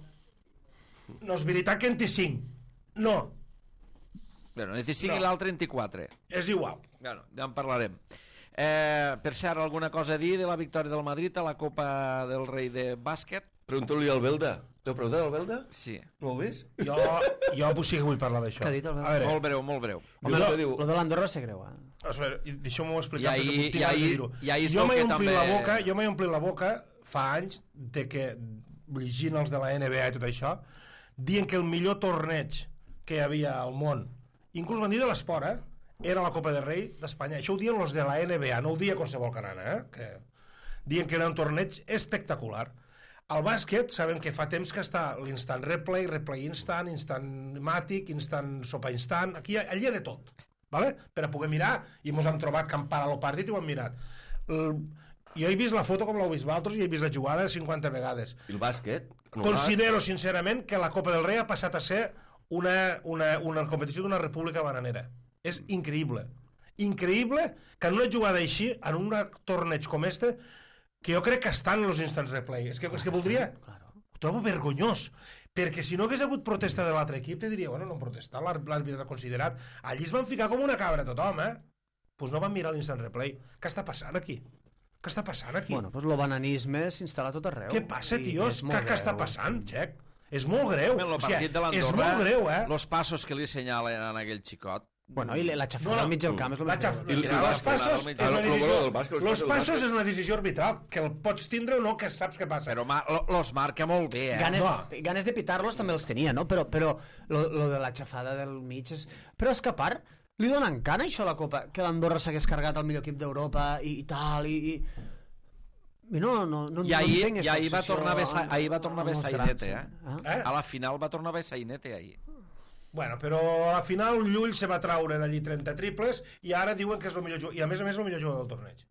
No és veritat que en té cinc. No. Bueno, en té cinc No. i l'altre en té quatre. És igual. Bueno, ja en parlarem. Eh, per cert, alguna cosa a dir de la victòria del Madrid a la Copa del Rei de bàsquet? Pregunta-li al Belda. L'heu preguntat al Belda? Sí. No ho ves? Jo, jo pues sí que vull parlar d'això. Què ha dit el Belda? A veure, Molt breu, molt breu. Home, Jo- no, diu... Lo de l'Andorra va ser greu, eh? a veure, deixeu-m'ho I explicar ahir- perquè puc i tirar ahir- de dir-ho. i ahir es Jo veu m'he que omplit també- la boca, jo m'he omplit la boca fa anys de que, llegint els de la N B A i tot això, dient que el millor torneig que hi havia al món, inclús van dir de l'esport, eh? Era la Copa del Rei d'Espanya. Això ho diuen els de la N B A, no ho dia qualsevol canana, eh? Que... Dient que era un torneig espectacular. Al bàsquet sabem que fa temps que està l'instant replay, replay instant, instant màtic, instant sopa instant, aquí allà hi ha de tot, ¿vale? Per a poder mirar, i ens hem trobat que han parat el partit i ho hem mirat. El, jo he vist la foto com l'heu vist vosaltres i he vist la jugada cinquanta vegades. I el bàsquet? Considero, sincerament, que la Copa del Rei ha passat a ser una, una, una competició d'una república bananera. És increïble. Increïble que en una jugada així, en un torneig com este, que jo crec que estan els instants replay. És que, és que voldria... Ho trobo vergonyós. Perquè si no hagués hagut protesta de l'altre equip, te diria, bueno, no han protestat, l'àrbitre ha considerat. Allí es van ficar com una cabra tothom, eh? Doncs pues no van mirar l'instant replay. Què està passant aquí? Què està passant aquí? Bueno, doncs el bananisme s'instal·la tot arreu. Què passa, tios? Què, què està passant, Xec? És molt greu. El o sigui, partit de l'Andorra, és molt greu, eh? Els passos que li assenyalen a aquell xicot. Bueno, i la xafada al mig del camp és el la més xaf... greu. Els passos és una decisió... Los passos és és una decisió arbitral, que el pots tindre o no, que saps què passa. Però ma, lo, los marca molt bé, eh? Ganes, No. ganes de pitar-los també els tenia, no? Però, però lo, lo de la xafada del mig és... Però és que a part, li donen cana això a la Copa, que l'Andorra s'hagués carregat el millor equip d'Europa i, i tal, i... i... I no, no, no, I ahir, no entenc i ahir va aquesta tornar a haver, obsessió sa- ahir va tornar a haver amb els sainete, grans, eh? eh? Eh? A la final va tornar a haver sainete, ahir. Bueno, però a la final Llull se va traure d'allí trenta triples i ara diuen que és el millor jugador, i a més a més el millor jugador del torneig.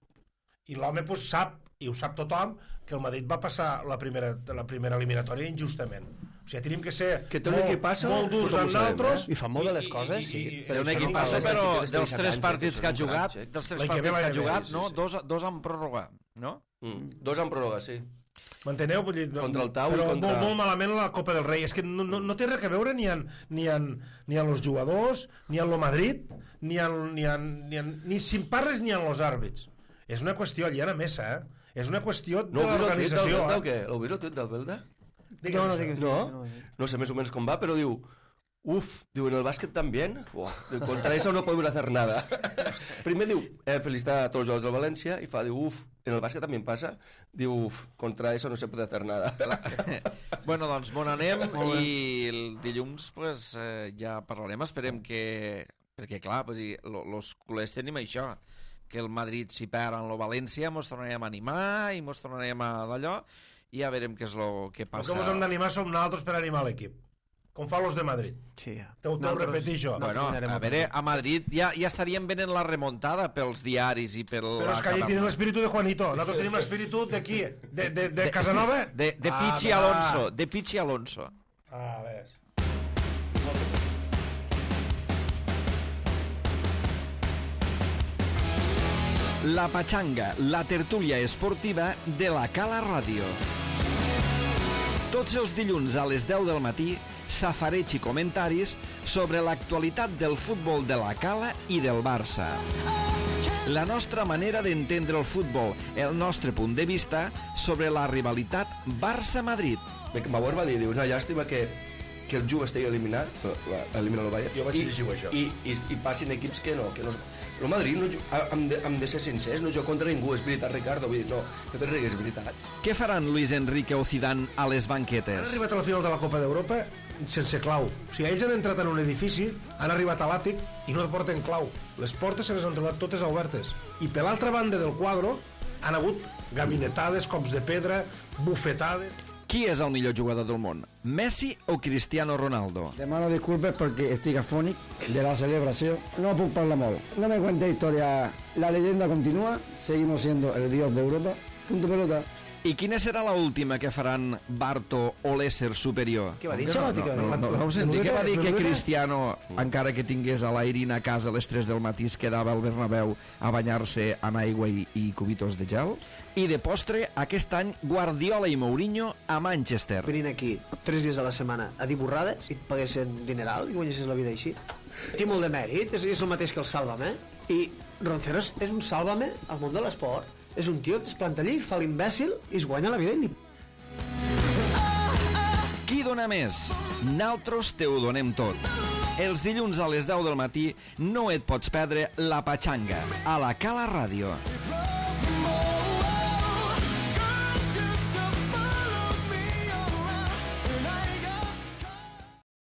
I l'home pues, sap, i ho sap tothom, que el Madrid va passar la primera, la primera eliminatòria injustament. O sigui, tenim que ser Que té un molt, equipasso, molt durs tothom ho amb sabem, nosaltres. eh? I fa molt de les coses, sí. Però un equip passa, aquesta però xica de dels setze tres anys, partits que que ha és un jugat, crac, dels tres L'any que ve partits que ha va jugat, sí, no? sí. Dos, dos amb pròrroga, no? Mm. Dos en pròrroga, sí. M'enteneu? Vull dir, Contra el Tau i però contra- molt, molt malament la Copa del Rei. És que no, no, no té res a veure ni en, ni en, ni en los jugadors, ni en lo Madrid, ni en, ni en, ni en, ni si en parles ni en los àrbits. És una qüestió aliena mesa, eh? És una qüestió de No heu vist el tuit del l'organització. Belda o Eh? què? L'heu vist el tuit del Belda? Digue'm, No, no, això. digues. No? No sé més o menos com va, però diu... Uf, diu, en el bàsquet también. Buah, diu, contra eso no podemos hacer nada. Primer diu, eh, felicitar a tots els jugadors del València, i fa, diu, uf, en el bàsquet també passa. Diu, uf, contra eso no se puede hacer nada. Bueno, doncs bon anem i el dilluns pues, eh, ja parlarem. Esperem que... Perquè, clar, vull dir, lo, los culers tenim això, que el Madrid si perd en lo València mos tornarem a animar i mos tornarem a d'allò i ja veurem què és lo que El passa. que ens hem d'animar som nosaltres per animar l'equip. Com fan los de Madrid. Sí, ja. T'ho t'ho Nosaltres- repetir, això. Bueno, Nosaltres a veure, a Madrid ja, ja estaríem venent la remuntada pels diaris i per Però la és que allí Catalunya. tenen l'espíritu de Juanito. Nosaltres tenim l'espíritu de qui? De, de, de Casanova? De, de Ah, Pichi va. Alonso, de Pichi Alonso. A veure. La Pachanga, la tertúlia esportiva de la Cala Ràdio. Tots els dilluns a les deu del matí, safareig i comentaris sobre l'actualitat del futbol de la Cala i del Barça. La nostra manera d'entendre el futbol, el nostre punt de vista sobre la rivalitat Barça-Madrid. Bauer va dir, diu, una llàstima que, que el Juve estigui eliminat, elimina el Bayern, Jo vaig i, llegir això. i, i, i passin equips que no, que no... El Madrid, no, ju- hem, de, hem de ser sincers, no juga contra ningú, és veritat, Ricardo, vull dir, no, no te rigues, és veritat. Què faran Luis Enrique o Zidane a les Han banquetes? arribat a la final de la Copa d'Europa sense clau. O sigui, ells han entrat en un edifici, han arribat a l'àtic i no porten clau. Les portes se les han trobat totes obertes. I per l'altra banda del quadre han hagut gabinetades, cops de pedra, bufetades... Qui és el millor jugador del món? Messi o Cristiano Ronaldo? Demano disculpes porque estoy afónic de la celebración. No puedo parlar molt. No me cuente historia. La leyenda continúa. Seguimos siendo el dios de Europa. Punto pelota. I quina serà la última que faran Barto o l'ésser superior? Què va dir, no, Xalotti? no, Que- no, no, no ho senti, Menudeta, què va dir que menudeta? Cristiano, encara que tingués a l'Airin a casa a les tres del matí, es quedava al Bernabéu a banyar-se amb aigua i, i cubitos de gel? I de postre, aquest any, Guardiola i Mourinho a Manchester. Venint aquí tres dies a la setmana a dir borrades i et paguessin dineral i guanyessis la vida així. Té molt de mèrit, és, és el mateix que el Sálvame. I Ronceros és un Sálvame al món de l'esport. És un tio que es planta allí, fa l'imbècil i es guanya la vida i ni... Qui dona més? Naltros te ho donem tot. Els dilluns a les deu del matí no et pots perdre La Pachanga a la Cala Ràdio.